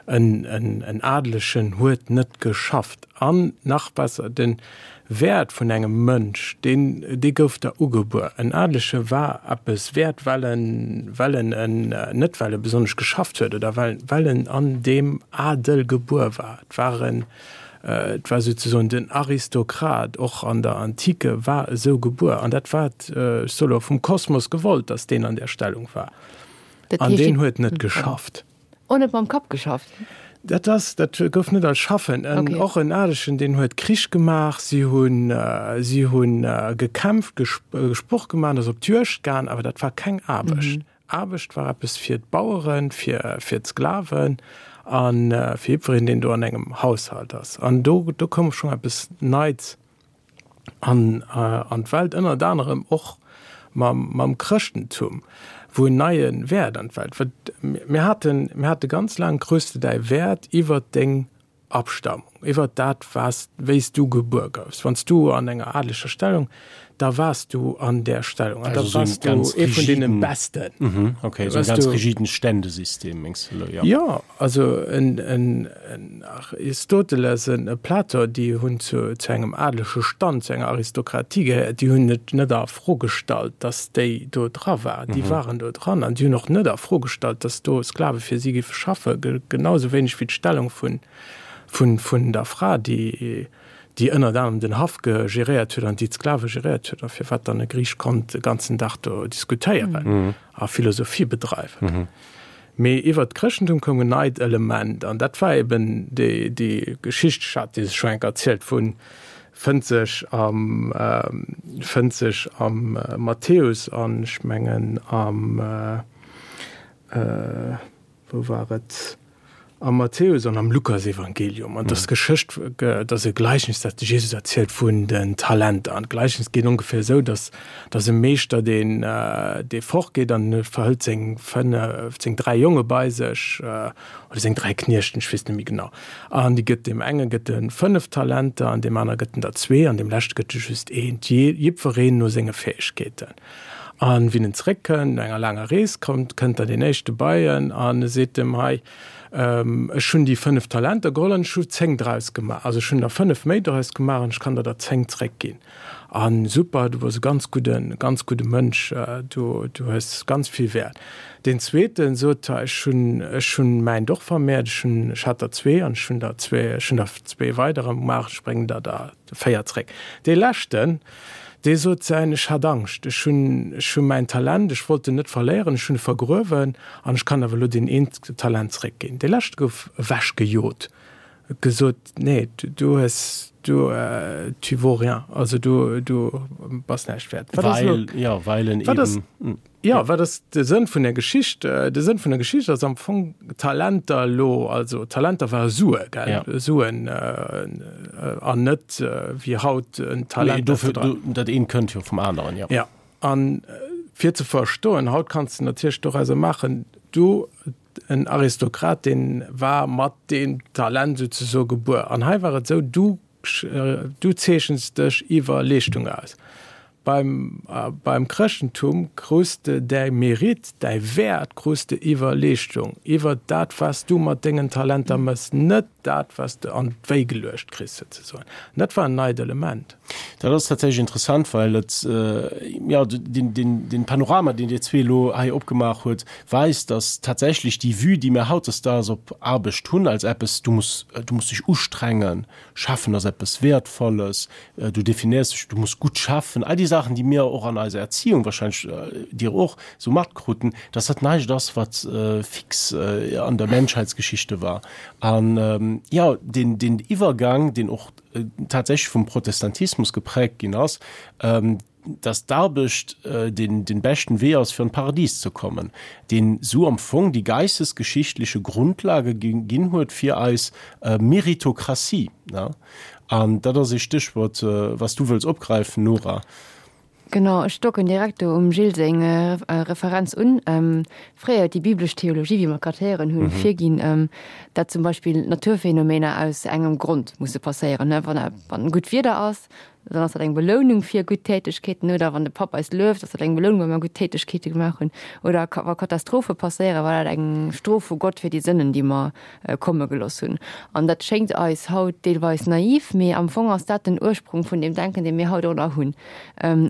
[SPEAKER 4] en, en, en Adelegen huet net geschafft. An nach besser, den Wäert vun engem Mënsch, deen, dee gouf der ugebuer. En Adelege war eppes wäert, well en, well en en, net well e besonnesch geschafft huet oder well, well en an deem Adel gebuer war. Et war en, et war souzesoen den Aristokrat, och an der Antike war esou gebuer. An dat war, ech soe lo, vum Kosmos gewollt, datt deen an där Stellung war. An deen huet net geschafft.
[SPEAKER 3] Och net mam Kapp geschafft?
[SPEAKER 4] Dat ass, dat gouf net als Schaffen. En, och en Adelegen, deen huet Krich gemaach, si hunn, si hunn gekämpft, Sport gemaach, ass op d'Juegd gaang, awer dat war keng Aarbecht. Aarbecht war eppes fir d'Baueren, fir, fir d'Sklaven a fir jiddwereen, deen do an engem Haushalt ass. An do, do koum schonn eppes Neits an, an d'Welt, ënnert anerem och mam, mam Chrëschtentum, wou en neie Wäert an d'Welt, wat mir haten, mir hate ganz laang, krus de däi Wäert iwwert deng Abstammung, iwwert dat was, wéi s du gebuer goufs. Wann s du an enger adleger Stellung, da waars du an där Stellung an da waars du ee vun deene Besten.
[SPEAKER 2] Mhm, okay, esou e ganz rigiden Ständesystem mengs de elo, jo?
[SPEAKER 4] Jo, also en, en, en Aristoteles, en e Platon, déi hunn zu, zu engem adlege Stand, zu enger Aristokratie gehéiert, déi hunn et net a Fro gestallt, datt déi do dra waren. Déi waren do dran an déi hunn och net a Fro gestallt, datt do Sklave fir si géife schaffen, genau esou wéineg wéi d'Stellung vun, vun, vun der Fra, déi, déi ënnert anerem den Haff geréiert huet an déi d'Sklave geréiert huet, a firwat dann e Griich konnt de ganzen Dag do diskutéieren a Philosophie bedreiwen. Mee iwwert d'Chrëschtentum koum en neit Element, an dat war eben déi, déi Geschicht, ech hat déi scho enk erzielt, vun, fënnt sech am, fënnt sech am Matthäus an ech mengen am, wou war et? Am Matthäus an am Lukasevangelium. An dass d'Geschëscht, dass e Gleichnis, dat de Jesus erzielt vun den Talenter. An d'Gleichnis geet ongeféier esou, dass, dass e Meeschter, deen, dee fortgeet an e verhëlt seng fënnef, seng dräi Jonge bei sech, oder seng dräi Kniechten, ech weess net méi genau. An déi gëtt, deem enge gëtt e fënnef Talenter an deem anere gëtt en der zwee an deem leschte gëtt e just eent, jee, jiddwereen no senge Fäegkeeten. An wien en zréckkënnt, no enger laanger Rees, kommt, kënnt dann deen éischte bei en an e seet em, Hei, ech hunn déi fënnef Talenter geholl an ech hu zéng draus gemaach. Also ech hunn der fënnef méi draus gemaach an ech kann der der zéng zréckginn. A super, du bass e ganz gudden, ganz gudde Mënsch, du, du hues ganz vill Wäert. Deen zweeten sot, Hei, ech hunn, ech hunn mäint och vermehrt, ech hunn, ech hat der zwee an ech hunn der zwee, ech hunn der zwee weider gemaach, ech bréngen der der véier zréck. Dee leschten, Dee sot säin, Ech hat Angscht, ech hunn, ech hu mäin Talent, ech wollt en net verléieren, ech hunn e vergruewen an ech kann awer elo deen eent Talent zréckginn. Dee leschte gouf ewechgejot, huet gesot, Nee, du hues, du, tu vaux rien, also du, du bass näischt wäert.
[SPEAKER 2] Wat ass elo, Weil, jo, weil en
[SPEAKER 4] wat ass,
[SPEAKER 2] eben.
[SPEAKER 4] Jo, wat ass de Sënn vun der Geschicht? De Sënn vun der Geschicht ass am Fong Talenter elo, also Talenter ware Sue, gell?
[SPEAKER 2] Ja.
[SPEAKER 4] Suen an net wéi haut en Talent.
[SPEAKER 2] Nee, dofir, dat eent kënnt jo vum aneren, jo.
[SPEAKER 4] Ja, an fir ze verstoen, haut kanns de natierlech dorauser maachen, du, en Aristokrat, dee war mat deem Talent souzesoe gebuer. An hei war et esou, du, du zeechens dech iwwer Leeschtung aus. Beim, beim Chrëschtentum krus de däi Mérite, däi Wäert krus de iwwer Leeschtung, iwwer dat, wat s du mat dengen Talenter mëss, net dat, wat s de an d'Wéi geluecht kriss, souzesoen. An dat war en neit Element.
[SPEAKER 2] Dat ass tatsächlech interessant, well et, jo, deen, deen, deen Panorama, deen Dir zwee elo hei opgemaach huet, weist, dass tatsächlech déi Vue, déi mir hautdesdaags op Aarbecht hunn, als eppes, du muss, du muss dech ustrengen, schaffen ass eppes Wäertvolles, du definéiers dech, du muss gutt schaffen, all déi Saachen, déi mir och an eiser Erziehung, wahrscheinlech Dir och, esou matkruten, dass dat näischt ass, wat fix an der Menschheitsgeschichte war. An, jo, deen, deen Iwwergang, deen och tatsächlech vum Protestantismus geprägt ginn ass, dass d'Aarbecht den, den beschten Wee ass, fir an d'Paradies ze kommen, deen esou am Fong déi geistesgeschichtliche Grundlage ginn huet fir eis Meritokratie. An dat ass ee Stéchwuert, was du wëlls opgräifen, Nora.
[SPEAKER 3] Genau, ech docken direkt do um Gilles seng Referenz un. Fréier huet déi biblesch Theologie, wéi mer grad héieren hunn, virginn, dat zum Beispill Naturphänomener aus engem Grond musse passéieren. Wann gutt Wieder ass, dann ass dat eng Belounung fir gutt Tätegkeeten, oder wann de Papp eis lueft, ass dat eng Belounung, well mer gutt Tätegkeete gemaach hunn, oder wa Katastrophe passéieren, war dat eng Strof vu Gott fir déi Sënnen, déi mer komme gelooss hunn. An dat schéngt eis haut deelweis naiv, mee am Fong ass dat den Ursprung vun deem Denken, dee mir haut och nach hunn.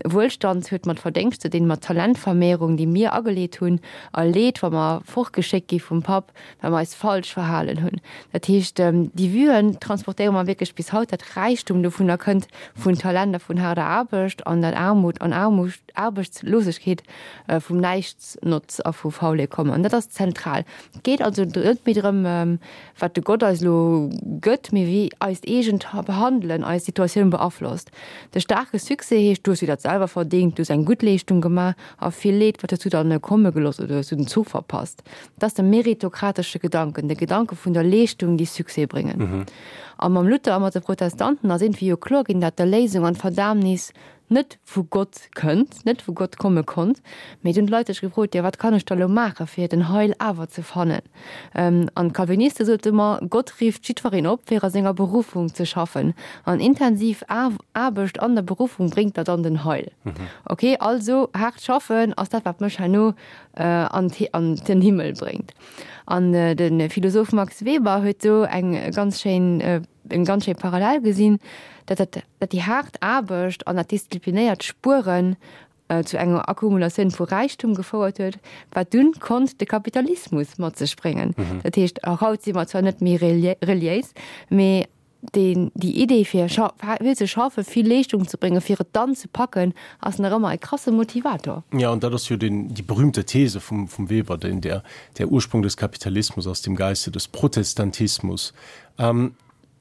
[SPEAKER 3] Wuelstand huet mat Verdéngscht ze dinn, mat Talentvermehrung, déi mir ageleet hunn, a Leed, wa mer fortgeschéckt gi vum Papp, well mer eis falsch verhalen hunn. Dat heescht, déi Vuen transportéiere mer wierklech bis haut, dat Räichtum dovunner kënnt vun Talent a vun haarder Aarbecht an dat Aarmut an Aarbechtslosegkeet vum Näichtsnotz a vu Faulheet kommen. An dat ass zentral. Et geet also net méi drëm, wat de Gott eis elo gëtt, mee wéi eist eegent Handelen eis Situatioun beaflosst. De staarke Succès heescht, du hues dir dat selwer verdéngt, du hues eng gutt Leeschtung gemaach a vill Leed, wat hues du dann komme gelooss oder hues du den Zuch verpasst. Dat ass de meritokratesche Gedanken, de Gedanke vun der Leeschtung, déi Succès bréngen. A mam Luther a mat de Protestanten ass iergendwéi jo kloer ginn, dat d'Erléisung an d'Verdaamnis net vu Gott kënnt, net vu Gott komme konnt. Mee dunn d'Leit sech gefrot, jo wat kann ech da lo maache fir den Heil awer ze fannen? An d'Calviniste sote mer, Gott rifft jiddwereen op fir a senger Beruffung ze schaffen. An intensiv Aarbecht an der Beruffung bréngt der dann den Heil. Ok, also haart schaffen ass dat wat mech herno an den Himmel bréngt. An de Philosoph Max Weber huet do eng ganz schéin, eng ganz schéi Parallel gesinn, datt dat, datt déi haart Aarbecht an dat disziplinéiert Spueren zu enger Akkumulatioun vu Räichtum gefouert huet, wat dunn konnt de Kapitalismus mat sech bréngen. Dat heescht, och haut si mer zwar net méi reliéis, mee deen, déi Idee fir vill ze schaffen, vill Leeschtung ze bréngen, fir et dann ze packen, ass nach ëmmer e krasse Motivator.
[SPEAKER 2] Ja, an dat ass jo den, déi berühmte These vum, vum Weber, den, der, der Ursprung des Kapitalismus aus dem Geiste des Protestantismus. Ähm,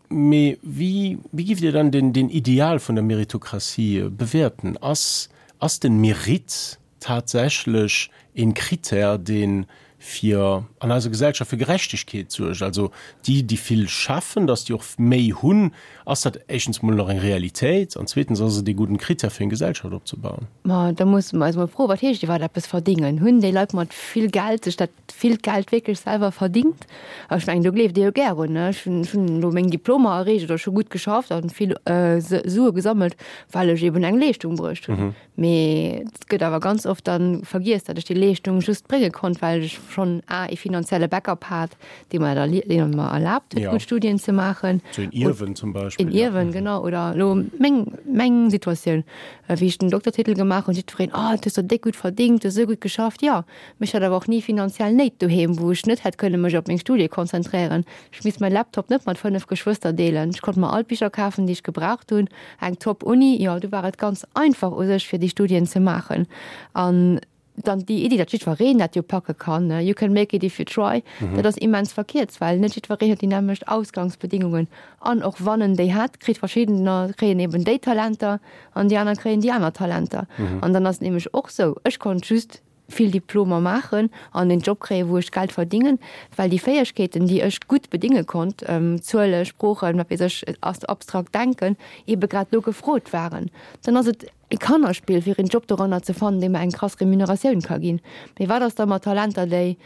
[SPEAKER 2] mee wéi, wéi giff Dir dann den, den Ideal vun der Meritokratie bewäerten? Ass, ass den Merit tatsächlech een Kritär, deen fir an eiser Gesellschaft fir Gerechtegkeet suergt, also déi, déi vill schaffen, dass déi och méi hunn, ass dat éischtens mol nach eng Realitéit an zweetens ass et ee gudden Kritär fir eng Gesellschaft opzebauen?
[SPEAKER 3] Ma da musse mer eis mol froen, wat heescht iwwerhaapt eppes verdingen? Hunn déi Leit mat vill Geld sech dat villt Geld wierklech selwer verdingt? A ech mengen, do gleeft Dir jo gär un, ne? Ech hunn, ech hunn elo meng Diplomer erreecht oder ech hu gutt geschafft an vill Sue gesammelt, well ech eben eng Leeschtung bruecht hunn. Mee et gëtt awer ganz oft dann vergiess, datt ech déi Leeschtung just brénge konnt, well ech schonn a ee finanzielle Backup hat, dee mer et dee mer erlaabt huet, gutt Studien ze maachen.
[SPEAKER 2] Sou een Ierwen zum Beispill.
[SPEAKER 3] Een Ierwen, genau. Oder elo meng, meng Situatioun, wéi ech den Doktertitel gemaach hunn, jiddwereen, Oh, du hues der déck gutt verdingt, du hues esou gutt geschafft. Jo, mee ech hat awer och ni finanziell Néit doheem, wou ech net hätt kënne mech op meng Studie konzentréieren. Ech misst mäi Laptop net mat fënnef Geschwëster deelen. Ech konnt mer all d'Bicher kafen, déi ech gebraucht hunn. Eng top Uni, jo, do war et ganz einfach u sech fir déi Studien ze maachen. An dann déi Iddi, datt jiddwereen dat jo packe kann, you can make it if you try, dat ass immens verkierzt, well net jiddwereen huet déi nämmlecht Ausgangsbedingungen. An och wann en déi hätt, kritt verschiddener kréien eben déi Talenter an déi aner kréien déi aner Talenter. An dann ass et nämlech och sou, ech konnt just vill Diplomer maachen an en Job kréien, wou ech Geld verdingen, well déi Fäegkeeten, déi ech gutt bedinge konnt, Zuele, Sproochen, wat weess ech, abstrakt Denken, ebe grad do gefrot waren. Dann ass et e Kannerspill, fir en Job doranner ze fannen, dee mer eng krass Remuneratioun ka ginn. Mee wat ass da mat Talenter, déi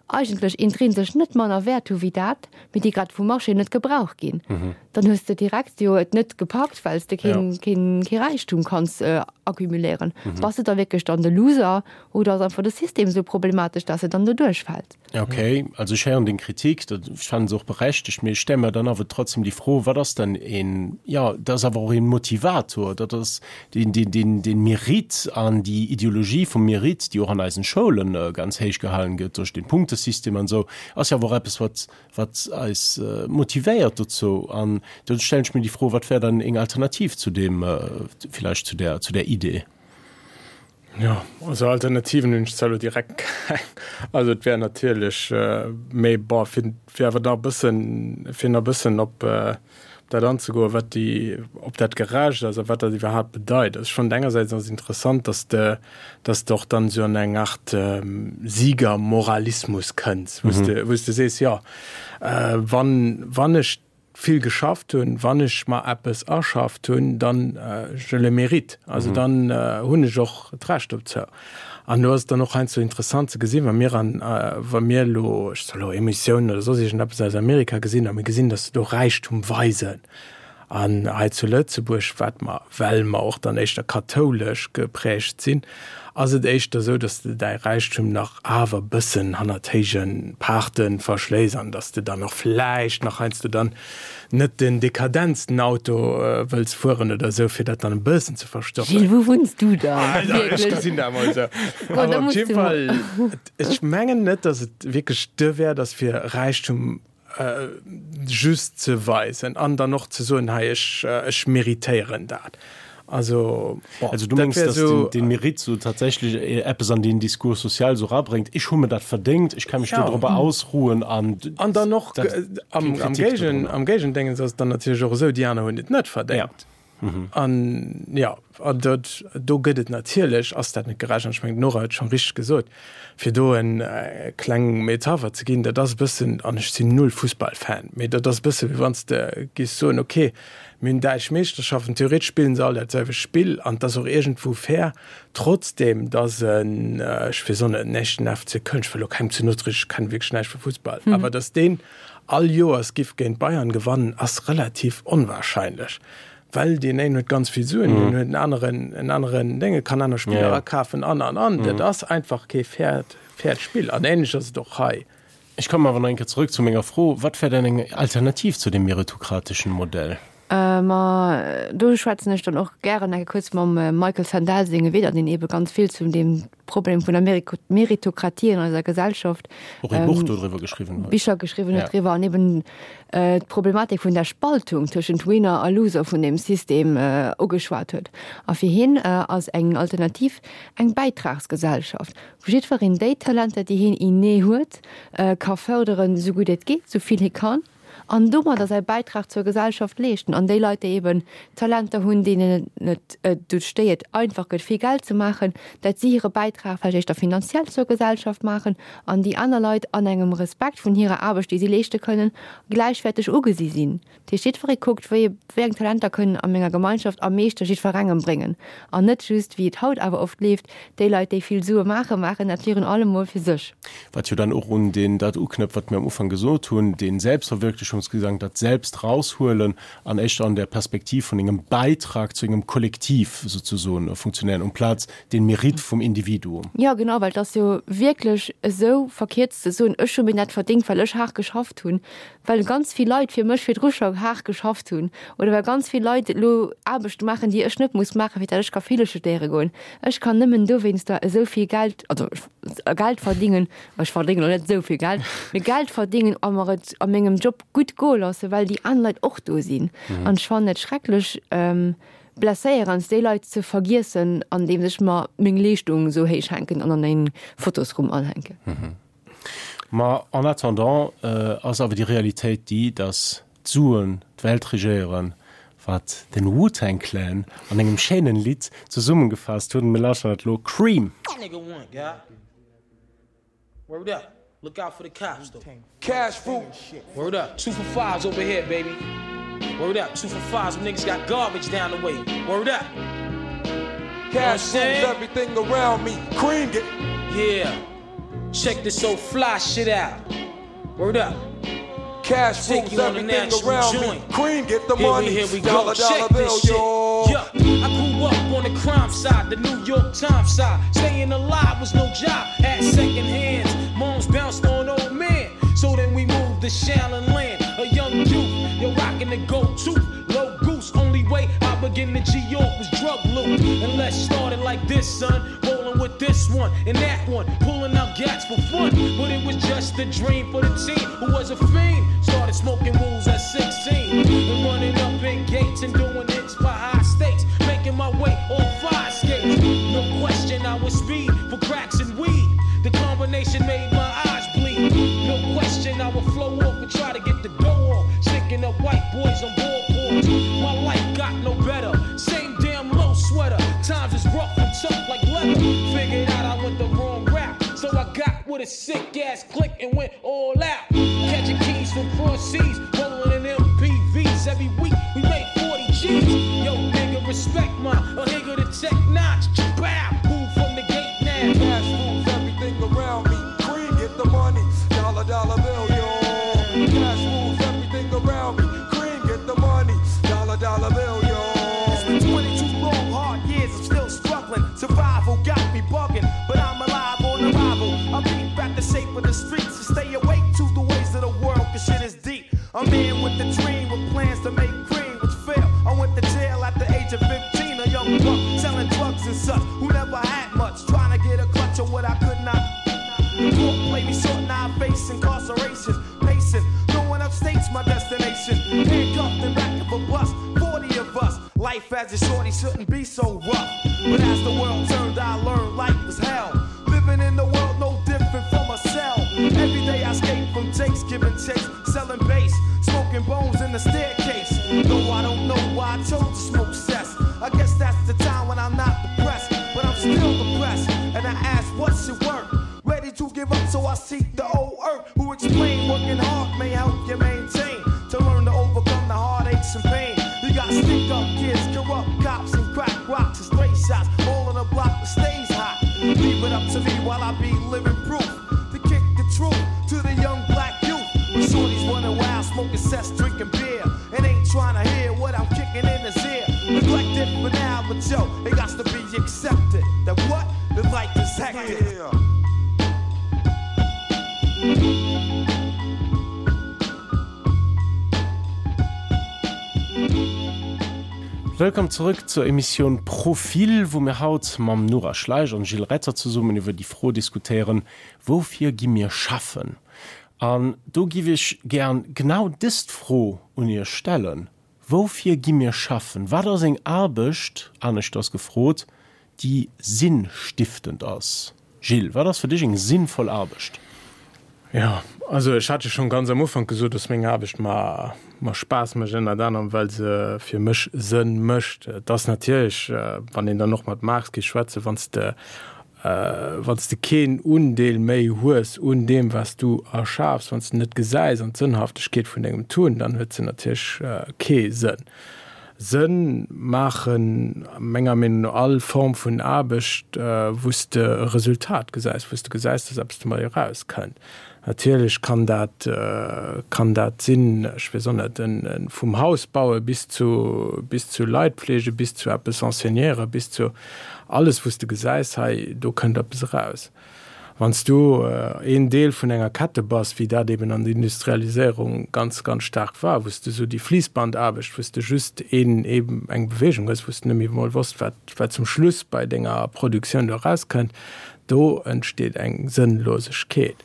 [SPEAKER 3] eigentlech intrinsesch net manner Wäert hu wéi dat, mee déi grad vum Marché net gebraucht ginn? Dann hues de direkt jo et net gepackt, well s de keen, keen, kee Räichtum kanns accumuléieren. Bass de da wierklech dann de Loser oder ass einfach de System esou problematesch, dass e dann do duerchfält?
[SPEAKER 2] Okay, also ech héieren deng Kritik, dat, ech fannen se och berechtegt, mee ech stelle mer dann awer trotzdem déi Fro, wat ass dann een, jo, dat ass awer och een Motivator, dat ass deen, deen, deen, deen Mérite an déi Ideologie vum Mérite, déi och an eisen Schoulen ganz héich gehalen gëtt duerch den Punktesystem an esou, ass jo awer och eppes, wat, wat eis motivéiert dozou. An do stellen ech mir déi Fro, wat wär dann eng Alternativ zu deem, villäicht zu där, zu där Idee?
[SPEAKER 4] Jo, also Alternativen hunn ech zwar elo direkt keng. Also et wär natierlech méi, bon, fir, fir awer nach e bëssen, fir nach e bëssen op dat anzegoen, wat déi, ob dat gerecht ass a wat dat iwwerhaapt bedeit. Also ech fannen engersäits ass et interessant, dass de, dass de och dann esou an eng Art Siegermoralismus kënns, wou s de, wou s de sees, jo, wann, wann ech vill geschafft hunn, wann ech mer eppes erschafft hunn, dann je le mérite, also dann hunn ech och d'Recht dozou. An do ass et dann och heiansdo interessant ze gesinn, wa mir an, wa mir elo, ech soe elo Emissiounen oder soss iergendeppes aus Amerika gesinn a mir gesinn, datt se do Räichtum weisen, An hei zu Lëtzebuerg, wat mer, well mer och dann éischter kathoulesch geprägt sinn, ass et éischter esou, dass de däi Räichtum nach awer e bëssen hannert héije Paarte verschléiss an dass de dann och vläicht nach heiansdo dann net den dekadentsten Auto wëlls fueren oder esou, fir dat dann e bëssen ze verstoppen.
[SPEAKER 3] Gilles, wou wunns du dann?
[SPEAKER 4] Ech gesinn dat emol esou. Awer op jidde Fall, ech mengen net, dass et wierklech de Wäert ass, fir Räichtum just ze weisen an dann och ze soen, hei ech ech méritéieren dat. Also
[SPEAKER 2] bon, also du mengs, dass den, den Mérite so tatsächlich eppes an den Discours social so rabréngt, ech hu mir dat verdéngt, ech ka mech ja. do ausruhen
[SPEAKER 4] an an dann och am, am Géigen am Géigendéngens ass dann natierlech och esou, déi aner hunn et net verdéngt.
[SPEAKER 2] Ja.
[SPEAKER 4] An jo, an dat, do gëtt et natierlech, ass dat net gerecht, an ech mengen d'Nora huet schonn richteg gesot, fir do en kleng Metapher ze ginn, dat ass e bëssen, an ech sinn null Fussballfan, mee dat ass e bësse wéi wann s de giss soen, ok, mir hunn däitsch Meeschterschaften, theoretesch spillen se all dat selwecht Spill an et ass och iergendwou fair, trotzdem datt en, ech weess och net, en echten F C Köln, ech wëll elo kengem ze no trieden, ech kenne wierklech näischt vu Fussball, awer datt deen all Joers giff géint Bayern gewannen, ass relativ onwahrscheinlech, well deen een huet ganz vill Suen, deen huet en aneren, en aneren Dénge, kann aner Spiller akafen an, an, an. Dat ass einfach kee fairt, fairt Spill. An ähnlech ass et och hei.
[SPEAKER 2] Ech kommen awer nach eng Kéier zrëck zu menger Fro, Wat wär denn eng Alternativ zu dem meritokratischen Modell?
[SPEAKER 3] Ma do schwätzen ech dann och gären eng kuerz mam Michael Sandel senge Wieder, deen ebe ganz vill zu dem Problem vun der Meritokratie an eiser Gesellschaft
[SPEAKER 2] och e Buch doriwwer geschriwwen
[SPEAKER 3] huet. Bicher geschriwwen huet driwwer an eben d'Problematik vun der Spaltung tëschent Winner a Loser vun dem System ugeschwat huet. A fir hien ass eng Alternativ eng Bäitragsgesellschaft, wou jiddwereen déi Talenter, déi hien inné huet, ka fërderen, esou gutt et geet, esou vill hie kann. An domadder säi Bäitrag zur Gesellschaft leeschten. An déi Leit, déi eben Talenter hunn, deenen et net déi et einfach gëtt, vill Geld ze maachen, dat si hire Bäitrag vläicht éischter finanziell zur Gesellschaft maachen an déi aner Leit an engem Respekt vun hirer Aarbecht, déi si leeschte kënnen, gläichwäerteg ugesi sinn. Dat heescht, jiddweree kuckt, wéi wéi eng Talenter kënnen a menger Gemeinschaft am meeschte jiddwerengem bréngen. An net just, wéi et haut awer oft leeft, déi Leit, déi vill Sue maachen, maachen dat virun allem mol fir sech.
[SPEAKER 2] Wat jo dann och un deen dat uknëpft, wat mir am Ufank gesot hunn, den Selbstverwirklichungsgedanken, dat Selbst raushuelen an éischter an der Perspektiv vun engem Beitrag zu engem Kollektiv souzesoen funktionéieren, amplaz den Merit vum Individuum.
[SPEAKER 3] Jo, genau, well et ass jo wierklech esou verkéiert ze soen, ech hu mir dat verdéngt, well ech haart geschafft hunn, well ganz vill Leit fir mech virdru scho haart geschafft hunn oder well ganz vill Leit elo Aarbechte maachen, déi ech net muss maachen, fir dat ech ka Fille studéiere goen. Ech kann nëmmen dowéinster esou vill Geld, also Geld verdingen, ech verdéngen elo net esou vill Geld, mee Geld verdingen a mer et a mengem Job gutt goe loossen, well déi aner Leit och do sinn. An ech fannen et schrecklech blesséierend, déi Leit ze vergiessen, andeems ech mer meng Leeschtung esou héich hänken an an en Fotosrumm anhänken.
[SPEAKER 2] Ma en attendant ass awer déi Realitéit déi, dass d'Suen d'Welt regéieren, wat den Wu-Tang Clan an engem schéinen Lidd zesummengefaasst hunn. Mir lauschteren dat elo, Cream.
[SPEAKER 1] Word up. Look out for the cops though.
[SPEAKER 5] Cash fruit.
[SPEAKER 1] Word up. Two for fives over here, baby. Word up. Two for fives. Them niggas got garbage down the way. Word up.
[SPEAKER 5] Cash rules everything around me. Cream get.
[SPEAKER 1] Yeah. Check this old fly shit out. Word up.
[SPEAKER 5] Cash
[SPEAKER 1] Take
[SPEAKER 5] rules
[SPEAKER 1] you on a
[SPEAKER 5] everything
[SPEAKER 1] natural
[SPEAKER 5] around me.
[SPEAKER 1] joint.
[SPEAKER 5] Cream get the
[SPEAKER 1] Here we,
[SPEAKER 5] money.
[SPEAKER 1] here we go.
[SPEAKER 5] Dollar dollar
[SPEAKER 1] Check
[SPEAKER 5] bill,
[SPEAKER 1] this shit.
[SPEAKER 5] yo.
[SPEAKER 1] Yeah, I grew up on the crime side, the New York Times side. Staying alive was no job. Had second hands. Moms bounced on old men. So then we moved to Shaolin Land. A young youth, you're rocking the go-to. Low goose, only way I begin to G York was drug loot. And let's start it like this, son. Rolling with this one and that one. Pulling out gats for fun. But it was just a dream for the team who was a fiend. Started smoking wools at sixteen. And running up in gates and doing hits for high stakes. Making my way on fire escapes. No question, I was speed for cracks and weed. The combination made my eyes bleed. No question, I would flow off and try to get the dough off. Sticking up white boys on board boards. My life got no better. Same damn low sweater. Times is rough and tough like leather. Figured out I went the wrong route. So I got with a sick ass click and went all out. Catching keys from cross seas, rolling in M P Vs. Every week we made forty G's. Yo, nigga, respect my a nigga to tech notch. Bow, move from the gate now.
[SPEAKER 5] Cash rules everything around me. Cream get the money. Dollar dollar bill, yo. Cash rules everything around me. Cream get the money. Dollar dollar bill, yo.
[SPEAKER 6] It's been twenty-two long, hard years, I'm still struggling. Survival got me bugging, but I'm alive on arrival. I peep at the shape of the streets and stay awake to the ways of the world, 'cause shit is deep. A man with a dream, with plans to make cream, which failed. I went to jail at the age of fifteen, a young buck selling drugs and such, who never had much, trying to get a clutch of what I could not. The court played me short, now I face incarceration. Pacing, going upstate's my destination. Handcuffed in back of a bus, forty of us. Life as a shorty shouldn't be so rough. But as the world turned, I learned life was hell. Living in the world no different from a cell. Every day I escape from jakes, giving chase, selling base, smoking bones in the staircase. Though I don't know why I chose to smoke cess. I seek the old earth who explain working hard may help you maintain to learn to overcome the heartaches and pain. You got stick up kids, corrupt cops, and crack rocks and stray shots, all in a block that stays hot. Leave it up to me while I be living proof to kick the truth to the young black youth. When shorties running wild, smoking cess, drinking beer, and ain't trying to hear what I'm kicking in his ear. Neglected for now, but yo, it got to be accepted that what the life is hectic.
[SPEAKER 5] Yeah.
[SPEAKER 2] Wëllkomm zurück zur Emissioun Profil, wou mir haut mam Nora Schleich an Gilles Retter zesummen iwwer déi Fro diskutéieren, Woufir gi mir schaffen? An do giff ech gären genau dëst Fro un iech stellen, Woufir gi mir schaffen? Wat ass eng Aarbecht, aneschters gefrot, déi sinnstiftend ass? Gilles, wat ass fir dech eng sinnvoll Aarbecht?
[SPEAKER 4] Jo, also ech hat jo schonn ganz am Ufank gesot, dass meng Aarbecht mer mer Spaass mécht, ënnert anerem well se fir mech Sënn mécht. Et ass natierlech, wann een dann och mat Marx géif schwätzen, wann s de wann s de keen Undeel méi hues un deem wat s du erschafs, wann s de net gesäis an d'Sënnhaftegkeet vun dengem Tun, dann huet se natierlech kee Sënn. Sënn maachen menger Meenung no all Form vun Aarbecht, wou s de e Resultat gesäis, wou s de gesäis, dass eppes domat erauskënnt. Natierlech kann dat, kann dat sinn, ech weess och net, en vum Haus baue bis zu, bis zu Leit pflege, bis zu eppes enseignéieren, bis zu alles, wou s de gesäis, hei do kënnt eppes eraus. Wann s du een Deel vun enger Kette bass, wéi dat eben an der Industrialiséierung ganz, ganz staark war, wou s de esou déi Fliissbandaarbecht, wou s de just een, eben eng Beweegung hues, wou s de net méi emol wosst, wat, wat zum Schluss bei denger Produktioun do erauskënnt, do entsteet eng Sënnlosegkeet.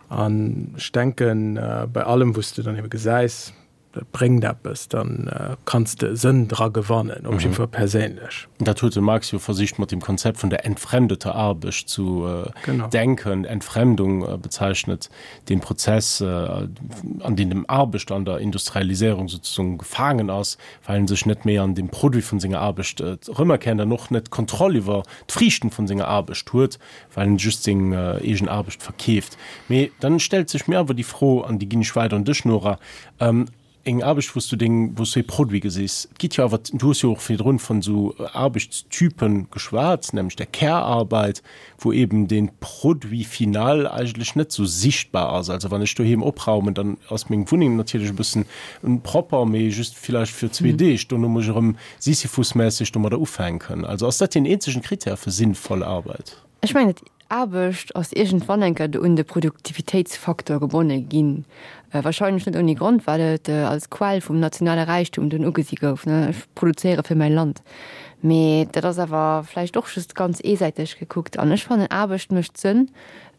[SPEAKER 4] An ech denken, bei allem, wou s de dann ebe gesäis, Dat bréngt eppes, da kanns de Sënn dra gewannen, op jiddwer Fall perséinlech.
[SPEAKER 2] Dat huet de Marx jo versicht mat dem Konzept vun der entfremdeter Arbecht zu denken. Entfremdung bezeichnet den Prozess, an deem dem Arbechter an der Industrialiséierung sozusagen gefaangen ass, well en sech net méi an dem Produit vun senger Arbecht erëmerkennt an och net d'Kontroll iwwer d'Friichten vun senger Arbecht huet, well en just seng eegen Arbecht verkeeft. Mee dann stellt sech mir awer déi Fro, an déi ginn ech weider un dech, Nora, Eng Aarbecht, wou s du deng, wou s du ee Produit gesis. Et gitt jo awer, du hues jo och virdrun vun esou Aarbechtstypen geschwat, nämlech der Care-Arbeit, wou eben dee Produit final eigentlech net esou sichtbar ass. Also wann ech doheem opraumen, dann ass meng Wunneng natierlech e bëssen propper, mee just villäicht fir zwee Deeg. Dono muss ech erëm sisyphusmässeg domadder ufänken. Also ass dat deen eenzegen Krittär fir sinnvoll Arbeit?
[SPEAKER 3] Ech mengen, et Aarbecht ass iergendwann eng Kéier un de Produktivitéitsfaktor gebonne ginn. Wahrscheinlech net ouni Grond, well et als Quell vum nationale Räichtum dunn ugesi gouf, ech produzéiere fir mäi Land. Mee dat ass awer vläicht och just ganz eesäiteg gekuckt. An ech fannen, Aarbecht mécht Sënn,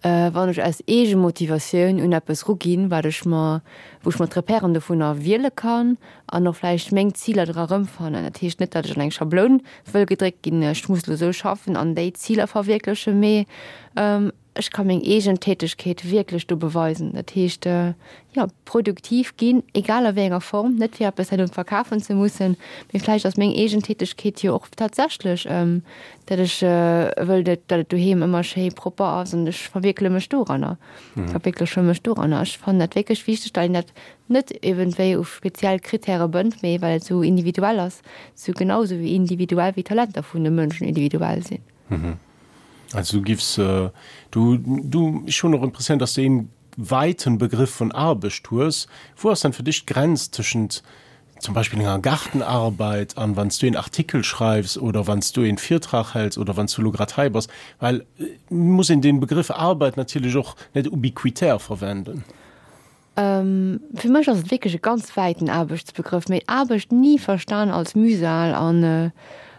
[SPEAKER 3] wann ech aus Eegemotivatioun un eppes ruginn, wat ech mer, wou ech mer d'Repèren dovunner wiele kann an och vläicht meng Ziler dra erëmfannen. Dat heescht net, datt ech an eng Schabloun wëll gedréckt ginn, ech muss elo esou schaffen an déi Ziler verwierklechen, mee ech ka meng eegen Tätegkeet wierklech do beweisen. Dat heescht, jo, produktiv ginn, egal a wéi enger Form, net fir eppes herno verkafen ze mussen, mee vläicht ass meng eegen Tätegkeet jo och tatsächlech, datt ech wëll, datt et doheem ëmmer schéi propper ass an ech verwierkele mech doranner, verwierkleche mech doranner. Ech fannen dat wierklech wichteg, datt een dat net iergendwéi u speziell Krittäre bënnt, mee well et esou individuell ass, esou genau esou individuell wéi d'Talenter vun de Mënschen individuell sinn.
[SPEAKER 2] Also du giffs, du, du, ech hunn och Impressioun, dass du een weiten Begriff vun Arbecht hues. Wou ass dann fir dech d'Grenz tëschent zum Beispill enger Gartenarbeit an wann s du een Artikel schreifs oder wann s du een Virtrag häls oder wann s du elo grad hei bass? Well et muss een den Begriff Arbeit natierlech och net ubiquitär verwenden.
[SPEAKER 3] Fir mech ass et wierklech e ganz wäiten Aarbechtsbegrëff, mee Aarbecht ni verstan als Mühsal an,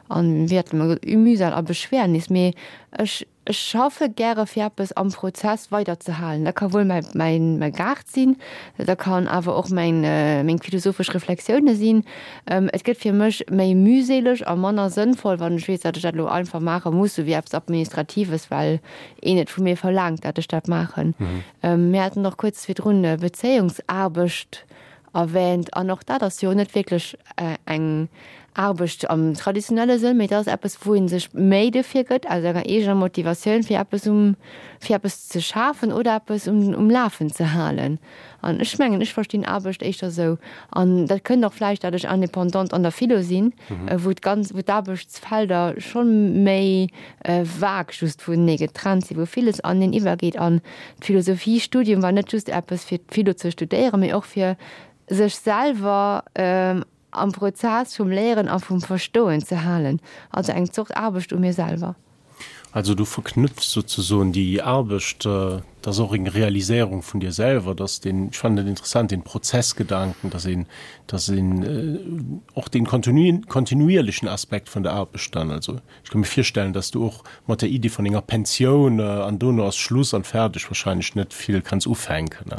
[SPEAKER 3] an wéi hat de mer gesot, Mühsal a Beschwernis, mee ech, ech schaffe gäre fir eppes am Prozess weiderzehalen. Dat ka wuel mäi, mäin, mäi Gaart sinn, dat kann awer och mäin, meng philosophesch Reflexioune sinn. Et gëtt fir mech méi mühseleg a manner sënnvoll, wann ech weess, datt ech dat elo einfach maache muss, sou wéi eppes Administratives, well een et vu mir verlaangt, datt ech dat maachen. Mir haten och kuerz virdrun Bezéiungsaarbecht erwähnt an och dat ass jo net wierklech eng Aarbecht am traditionelle Sënn, mee et ass eppes, wou ee sech Méi dofir gëtt, aus enger eegener Motivatioun, fir eppes um, fir eppes ze schafen oder eppes um, um Lafen ze halen. An ech mengen, ech verstinn Aarbecht éischter esou. An dat kënnt och vläicht, dat ech Indépendante an der Philo sinn, wou d'ganz, wou d'Aarbechtsfelder scho méi vag just vunenee getrennt sinn, wou villes aneneen iwwergeet. An d'Philosophiestudium war net just eppes fir d'Philo ze studéieren, mee och fir sech selwer am Prozess vum Léieren a vum Verstoen ze halen, also eng Zort Aarbecht u mir selwer.
[SPEAKER 2] Also du verknüpfst sozesoen déi Aarbecht, dat ass och eng Realiséierung vun dir selwer, dass den, ech fannen dat interessant, den Prozessgedanken, dass een, dass een och den kontinuierlechen Aspekt vun der Aarbecht dann, also ech ka mir virstellen, dass du och mat der Iddi vun enger Pensioun an dono ass Schluss an fäerdeg wahrscheinlech net vill kanns ufänken.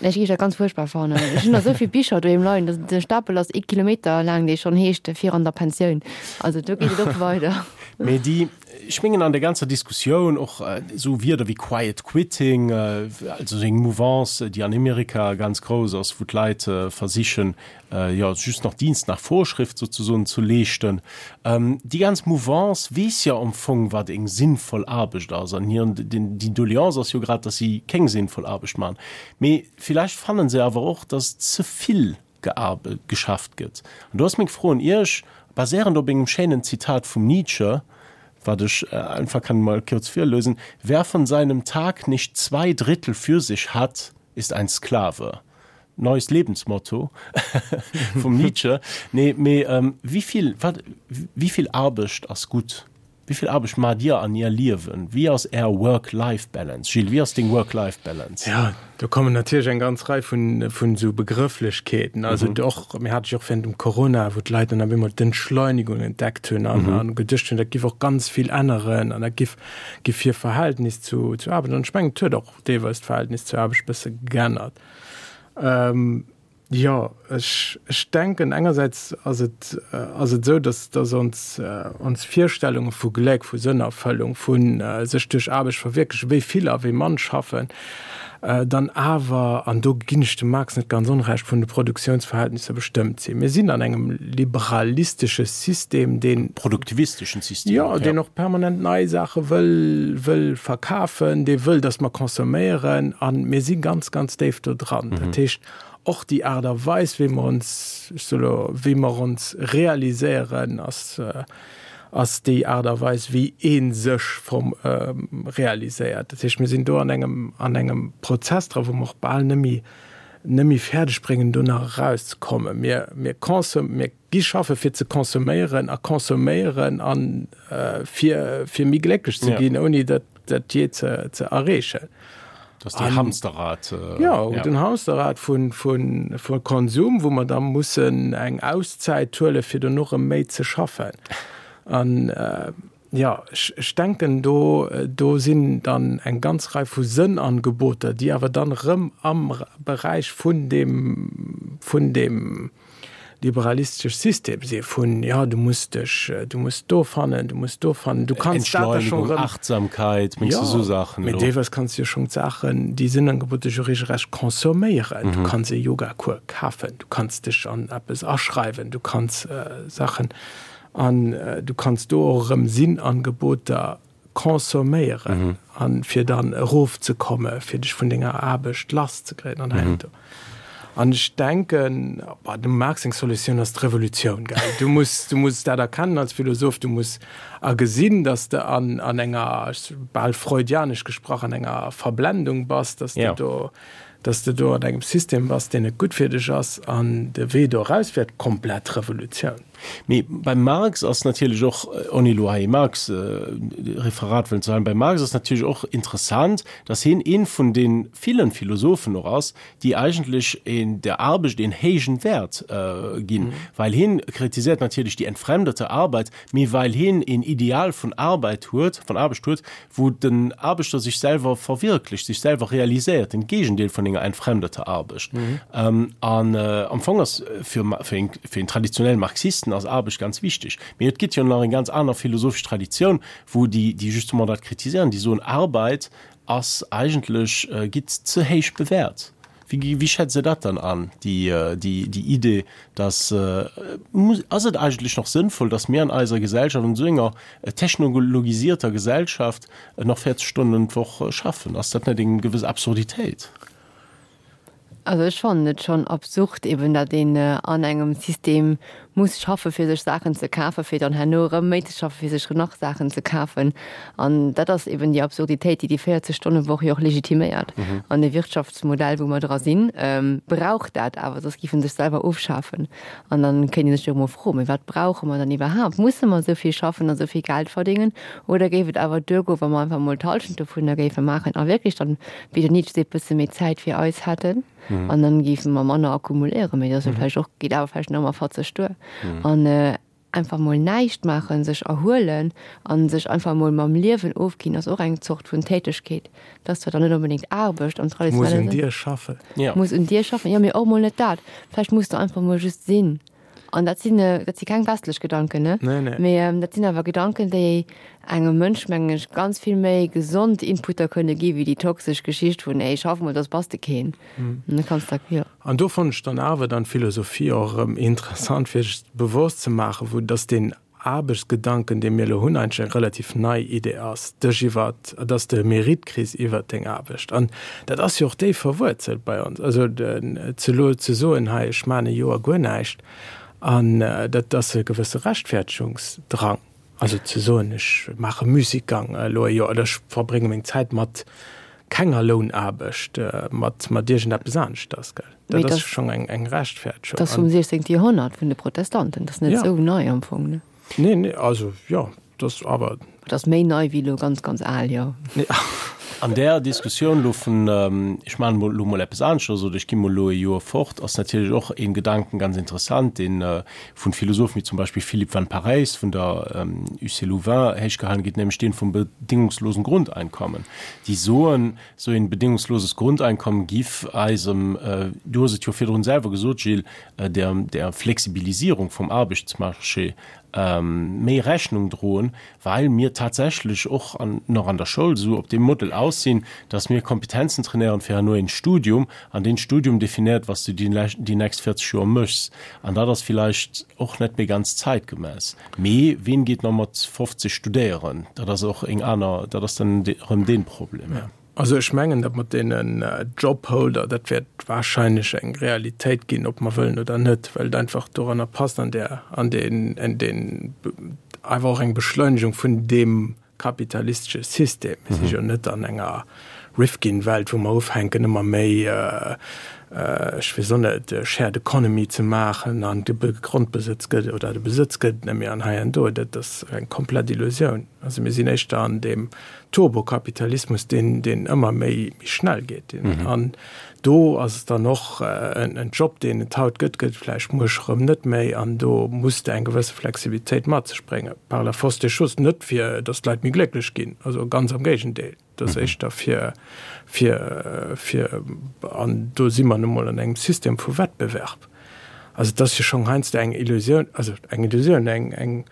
[SPEAKER 3] Ech géif dat ganz fuerchtbar fannen. Ech hunn nach esou vill Bicher doheem leien, de Stapel ass ee Kilometer laang, dee schonn heescht fir an der Pensioun. Also do geet et och weider.
[SPEAKER 2] Mee déi, ech mengen an der ganzer Diskussioun och esou Wierder wéi Quiet Quitting, also esou eng Mouvance, déi an Amerika ganz grouss ass, wou d'Leit versichen, jo just nach Dienst nach Vorschrift sozesoen ze leeschten. Déi ganz Mouvance weess jo am Fong, wat eng sinnvoll Aarbecht ass an hiren, déi Doleance ass jo grad, datt si keng sinnvoll Aarbecht maachen. Mee villäicht fannen se awer och, datt ze vill gearbe geschafft gëtt. An do ass meng Fro un Iech, baséierend op engem schéinen Zitat vum Nietzsche, wat ech einfach kann mol kurz virlesen, Wer von seinem Tag nicht zwei Drittel für sich hat, ist ein Sklave. Neues Lebensmotto vum Nietzsche. Nee, mee wéi vill, wat, wéi vill Aarbecht ass gutt? Wéi vill Aarbecht maacht Dir an Är Liewen? Wéi ass Är Work-Life-Balance? Gilles, wéi ass deng Work-Life-Balance?
[SPEAKER 4] Ja, do kommen natierlech eng ganz Rei vun, vun esou Begrëfflechkeeten. Also och, mir hate jo och während dem Corona, wou d'Leit dann op eemol d'Entschleunigung entdeckt hunn an, an geduecht hunn, dat giff och ganz vill änneren an dat giff, giff hir Verhältnis zu, zu Aarbecht, an ech mengen, et huet och deelweis d'Verhältnis zur Aarbecht e bësse geännert. Jo, ech, ech denken, engersäits ass et, ass et esou, dass, dass ons, ons Virstellunge vu Gléck, vu Sënnerfëllung, vu sech duerch Aarbecht verwierklechen, wéi vill a wéi mann schaffen, dann awer, an do ginn ech dem Marx net ganz Onrecht, vun de Produktionsverhältnisser bestëmmt sinn. Mir sinn an engem liberalistesche System, deen.
[SPEAKER 2] Produktivisteschen System,
[SPEAKER 4] jo. Jo, deen och permanent nei Saache wëll, wëll verkafen, dee wëll, dass mer consomméieren, a mir si ganz, ganz déif do dran. Dat heescht, och déi Aart a Weis, wéi mer ons, ech soe lo, wéi mer ons realiséieren, ass, ass déi Aart a Weis, wéi ee sech form, realiséiert. Dat heescht, mir sinn do an engem, an engem Prozess dra, wou mer och bal net méi, net méi fäerdeg bréngen, do nach erauszekommen. Mir, mir consom-, mir gi schaffe fir ze consomméieren a consomméieren an, fir, fir méi glécklech ze ginn, ouni dat, dat jee ze, ze erreechen.
[SPEAKER 2] Das die Hamsterrad.
[SPEAKER 4] Äh, ja, ja, den Hamsterrad vun, vun, vun Konsum, wou mer da mussen eng Auszäit huele fir dono erëm méi ze schaffen. An äh, ja, ech, ech denken do, do sinn dann eng ganz Rei vu Sënnangeboter, déi awer dann erëm am Beräich vun dem, vun dem liberalistesch System si vun, jo, du muss dech, du muss do fannen, du muss do fannen, du kanns dat da
[SPEAKER 2] schonn
[SPEAKER 4] erëm.
[SPEAKER 2] Entschleunigung, Achtsamkeit, mengs du esou Saachen
[SPEAKER 4] elo? Mee deelweis kanns du jo schonn d'Saachen, déi Sinnangebote jo regelrecht consomméieren. Du kanns e Yogacours kafen, du kanns dech an eppes aschreiwen, du kanns Saachen an du kanns do och erëm Sinnangeboter consomméieren an fir dann erofzekomme fir dech vun denger Aarbecht lass ze kréien an hei an do. An ech denken, bah, dem Marx seng Solutioun ass d'Revolutioun, gell. Du muss, du muss dat erkennen als Philosoph, du muss agesinn, datt s de an, an enger, bal freudianesch gesprach, an enger Verblendung bass, datt s de do, datt s de do an engem System bass, deen net gutt fir dech ass, an de Wee do eraus wär d'komplett Revolutioun.
[SPEAKER 2] Mee beim Marx ass natierlech och, ouni elo hei e Marx-Referat wëllen ze halen, beim Marx ass natierlech och interessant, datt hien ee vun de villen Philosophen och ass, déi eigentlech een der Aarbecht een héijen Wäert ginn, well hien kritiséiert natierlech déi entfremdete Arbeit, mee well hien een Ideal vun Arbeit huet, vun Aarbecht huet, wou den Aarbechter sech selwer verwirklecht, sech selwer realiséiert, den Gegendeel vun enger entfremdeter Aarbecht. An am Fong ass fir fir een fir een traditionellen Marxisten ass Aarbecht ganz wichteg. Mee et gëtt jo nach eng ganz aner philosophesch Traditioun, wou déi déi justement dat kritiséieren, déi soen, Arbeit ass eigentlech, gitt ze héich bewäert. Wéi, wéi schätzt Der dat dann an, déi, déi, déi Idee, dass, muss, ass et eigentlech nach sënnvoll, dass mir an eiser Gesellschaft, an esou enger technologisierter Gesellschaft, nach véierzeg Stonnen d'Woch schaffen? Ass dat net eng gewëss Absurditéit?
[SPEAKER 3] Also ech fannen et schonn absurd eben, datt een an engem System muss schaffe fir sech Saachen ze kafen, fir dann herno erëm méi ze schaffe fir sech nach Saachen ze kafen. An dat ass eben déi Absurditéit, déi déi véierzeg-Stonne-Woch jo och legitiméiert. An de Wirtschaftsmodell, wou mer dra sinn, brauch dat awer, soss géif en sech selwer ofschafen. An dann kéint ee sech jo emol froen, mee wat brauche mer dann iwwerhaapt? Musse mer esou vill schaffen a esou vill Geld verdéngen? Oder géif et awer duergoen, wa mer einfach emol d'Hallschent dovunner géife maachen a wierklech dann, wéi den Nietzsche seet, bësse méi Zäit fir eis hätten? An dann géife mer manner akkumuléieren, mee dat ass jo vläicht och, geet awer vläicht nach ëmmer fatzeg duer. An einfach mol näischt maachen, sech erhuelen a sech einfach mol mam Liewen ofginn, ass och eng Zort vun Tätegkeet. Dat ass zwar dann net onbedéngt Aarbecht am
[SPEAKER 4] Muss un
[SPEAKER 3] traditionelle Sënn.
[SPEAKER 4] dir schaffen.
[SPEAKER 3] Muss un dir schaffen, jo, mee och mol net dat. Vläicht muss de einfach mol just sinn. An dat sinn, dat si keng westlech Gedanken, ne?
[SPEAKER 4] Nee, nee.
[SPEAKER 3] Mee dat sinn awer Gedanken, déi engem Mënsch, mengen ech, ganz vill méi gesond Inputter kënne gi wéi déi toxesch Geschicht vun, ey, schaff mol, soss bass de keen. An da kanns de, jo.
[SPEAKER 4] An do fannen ech dann awer dann d'Philosophie och erëm interessant, fir sech bewosst ze maachen, vu dass deen Aarbechtsgedanken, dee mir elo hunn, eigentlech eng relativ nei Idee ass, dech iwwer, dass de Mérite kriss iwwert deng Aarbecht. An dat ass jo och déif verwuerzelt bei ons. Also ze elo ze soen, hei ech maachen e Joer guer näischt, an dat ass e gewësse Rechtfertigungsdrang. Also ze soen, ech maache Musikgang elo e Joer oder ech verbrénge meng Zäit mat kenger Lounaarbecht, mat mat iergendeppes aneschters, gell.
[SPEAKER 3] Mee
[SPEAKER 4] Dat ass
[SPEAKER 3] dat
[SPEAKER 4] schonn eng eng Rechtfertigung.
[SPEAKER 3] ass vum siechzéngte Joerhonnert, vun de Protestanten. Dat ass net
[SPEAKER 4] Ja.
[SPEAKER 3] esou nei am Fong, ne?
[SPEAKER 4] Nee, nee, also jo, dat ass awer.
[SPEAKER 3] Dat ass méi nei wéi elo ganz, ganz al, jo.
[SPEAKER 2] An där Diskussioun elo vun, ech maachen emol elo mol eppes aneschters oder ech gi mol elo e Joer fort, ass natierlech och ee Gedanken ganz interessant, dee vun Philosophen wéi zum Beispill Philippe Van Parijs vun der U C Louvain héichgehalen gétt, nämlech dee vum bedingungslosen Grundeinkommen, déi soen, esou een bedingungsloses Grundeinkommen giff eisem, du hues et jo virdrun selwer gesot, Gilles, der der Flexibilisierung vum Aarbechtsmarché méi Rechnung droen, well mir tatsächlech och an, nach an der Schoul esou op deem Model aus sinn, dass mir Kompetenzen trainéieren fir herno een Studium, an deen Studium definéiert, wat s du déi déi nächst véierzeg Joer méchs. An dat ass villäicht och net méi ganz zeitgemäss. Mee ween geet nach mat fofzeg studéieren? Dat ass och eng aner, dat ass dann erëm dee Problem.
[SPEAKER 4] Ja. Also ech mengen, dat mat deenen Jobholder, dat wäert wahrscheinlech eng Realitéit ginn, ob mer wëllen oder net, well et einfach doranner passt an där, an deen, an deen, einfach och eng Beschleunigung vun deem kapitalistesche System. Mir si jo net an enger Rifkin-Welt, wou mer ufänken ëmmer méi, ech weess och net, Shared Economy ze maachen an de Grondbesëtz gëtt oder de Besëtz gëtt et net méi an hei an do. Dat ass eng komplett Illusioun. Also mir sinn éischter an deem Turbokapitalismus, deen, deen ëmmer méi, méi schnell geet. An do ass et dann och en, en Job, deen et haut gëtt, gëtt et vläicht muer erëm net méi. An do muss de eng gewësse Flexibilitéit mat sech bréngen, par la force des choses, net fir datt d'Leit méi glécklech ginn, also ganz am Géigendeel. Dat ass éischter fir, fir, fir, an do si mer nu mol an engem System vu Wettbewerb. Also et ass jo schonn heiansdo eng Illusioun, also eng Illusioun, eng, eng,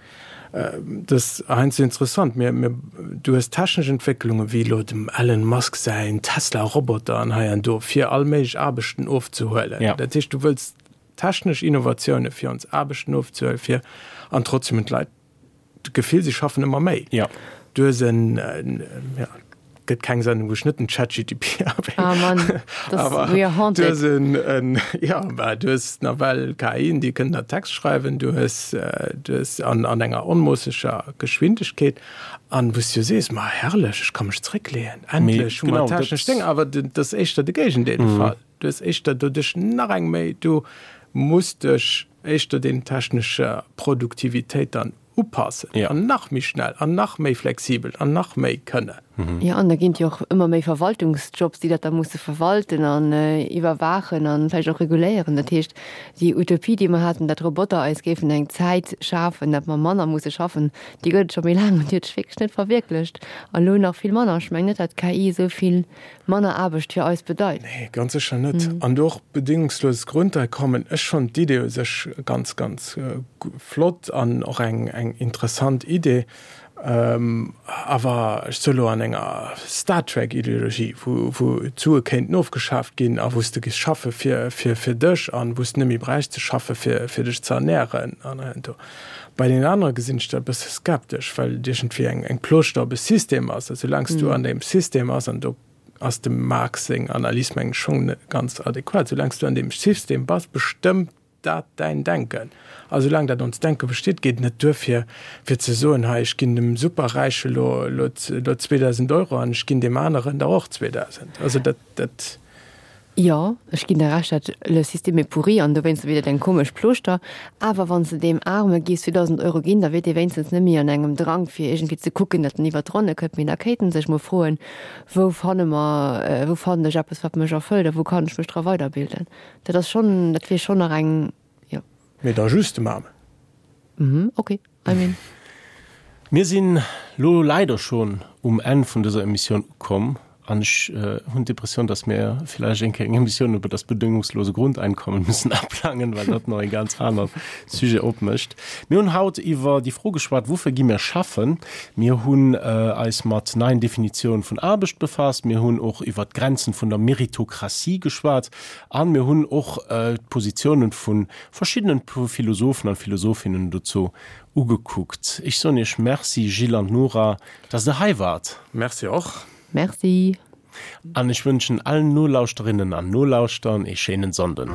[SPEAKER 4] dat ass heiansdo interessant, mir, mir, du hues technesch Entwécklungen, wéi elo dem Elon Musk säin Tesla-Roboter an hei an do, fir all méiglech Aarbechten ofzehuelen. Dat heescht, du wëlls technesch Innovatioune fir ons Aarbechten ofzehuelen, fir, an trotzdem hunn d'Leit d'Gefill, si schaffen ëmmer méi. Du hues en, ja, gëtt keng Sendung, wou ech net den ChatGTP erwähnen.
[SPEAKER 3] Ah Mann, das,
[SPEAKER 4] Awer
[SPEAKER 3] we are
[SPEAKER 4] du
[SPEAKER 3] haunted.
[SPEAKER 4] hues en, en, ja, bah, du hues nawell K I'en, déi kënnen der Text schreiwen, du hues, du hues an, an enger onmoosseger Geschwindegkeet, an wou s du jo sees, ma herrlech, ech ka mech zréckleeën, endlech hu mer technesch Déng, awer dat ass éischter de Géigendeel de Fall. Du hues éischter doduerch nach eng méi, du muss dech éischter den technescher Produktivitéit dann upassen an nach méi schnell an nach méi flexibel an nach méi kënnen.
[SPEAKER 3] Jo, an da ginn et jo och ëmmer méi Verwaltungsjobs, déi dat da musse verwalten an iwwerwaachen an vläicht och reguléieren. Dat heescht, déi Utopie, déi mer haten, datt Roboter eis géifen eng Zäit schafen, datt mer manner musse schaffen, déi gëtt et scho méi laang an déi huet sech wierklech net verwierklecht. An elo nach vill manner. Ech mengen net, datt d'K I esou vill manner Aarbecht fir eis bedeit.
[SPEAKER 4] Nee, ganz sécher net. An do och bedingungsloses Grundeinkommen. Ech fannen d'Idee u sech ganz, ganz flott an och eng, eng interessant Idee. Awer ech soe lo an enger Star Trek Ideologie, wou wou d'Sue kéinten ofgeschaaft ginn a wou s de géifs schaffe fir fir fir dech an wou s de net méi bräichs ze schaffe fir fir dech ze ernähren an hei an do. Bei deenen anere gesinn ech dat e bësse skeptesch, well et iergendwéi eng eng Plooschter op e System ass. A soulaang s du an deem System ass, an do ass dem Marx seng Analys mengen ech schonn net ganz adequat, soulaang s du an deem System bass, bestëmmt dat däin Denken. A soulaang dat onst Denke besteet, geet et net duer fir fir ze soen, hei ech ginn dem Superräiche lo lo lo zweedausend Euro an ech ginn deem aneren der och zweedausend. Also dat dat.
[SPEAKER 3] Jo, ech ginn der Recht, dat le système est pourri an dowéinster wier dat eng komesch Plooschter. Awer wann s de deem Aarme géifs zweedausend Euro ginn, da wier dee wéinstens net méi an engem Drang fir iergendwéi ze kucken, datt en iwwer d'Ronne kënnt, mee da kéint en sech mol froen, wou fanne mer, wou fannen ech eppes wat mech erfëllt a wou kann ech mech dra weiderbilden. Dat ass schonn, dat wier schonn nach eng, jo.
[SPEAKER 4] Mee da just dem Aarmen.
[SPEAKER 3] Mhm, okay, I mean.
[SPEAKER 2] Mir sinn lo leider schonn um Enn vun dëser Emissioun ukomm an ech hunn d'Impressioun, dass mir villäicht eng Kéier eng Emissioun über das bedingungslose Grundeinkommen müssen aplangen, well dat nach e ganz anert Sujet opmécht. Mir hunn haut iwwer déi Fro geschwat, Woufir gi mir schaffen? Mir hunn eis mat neien Definitiounen vun Aarbecht befasst. Mir hunn och iwwer d'Grenzen vun der Meritokratie geschwat an mir hunn och d'Positiounen vu verschiddenen Philosophen an Philosophinnen dozou ugekuckt. Ech soen Iech Merci, Gilles an Nora, dass Der hei waart.
[SPEAKER 4] Merci och.
[SPEAKER 3] Merci.
[SPEAKER 2] An ech wënschen allen Nolauschterinnen an Nolauschtern ee schéinen Sonnden.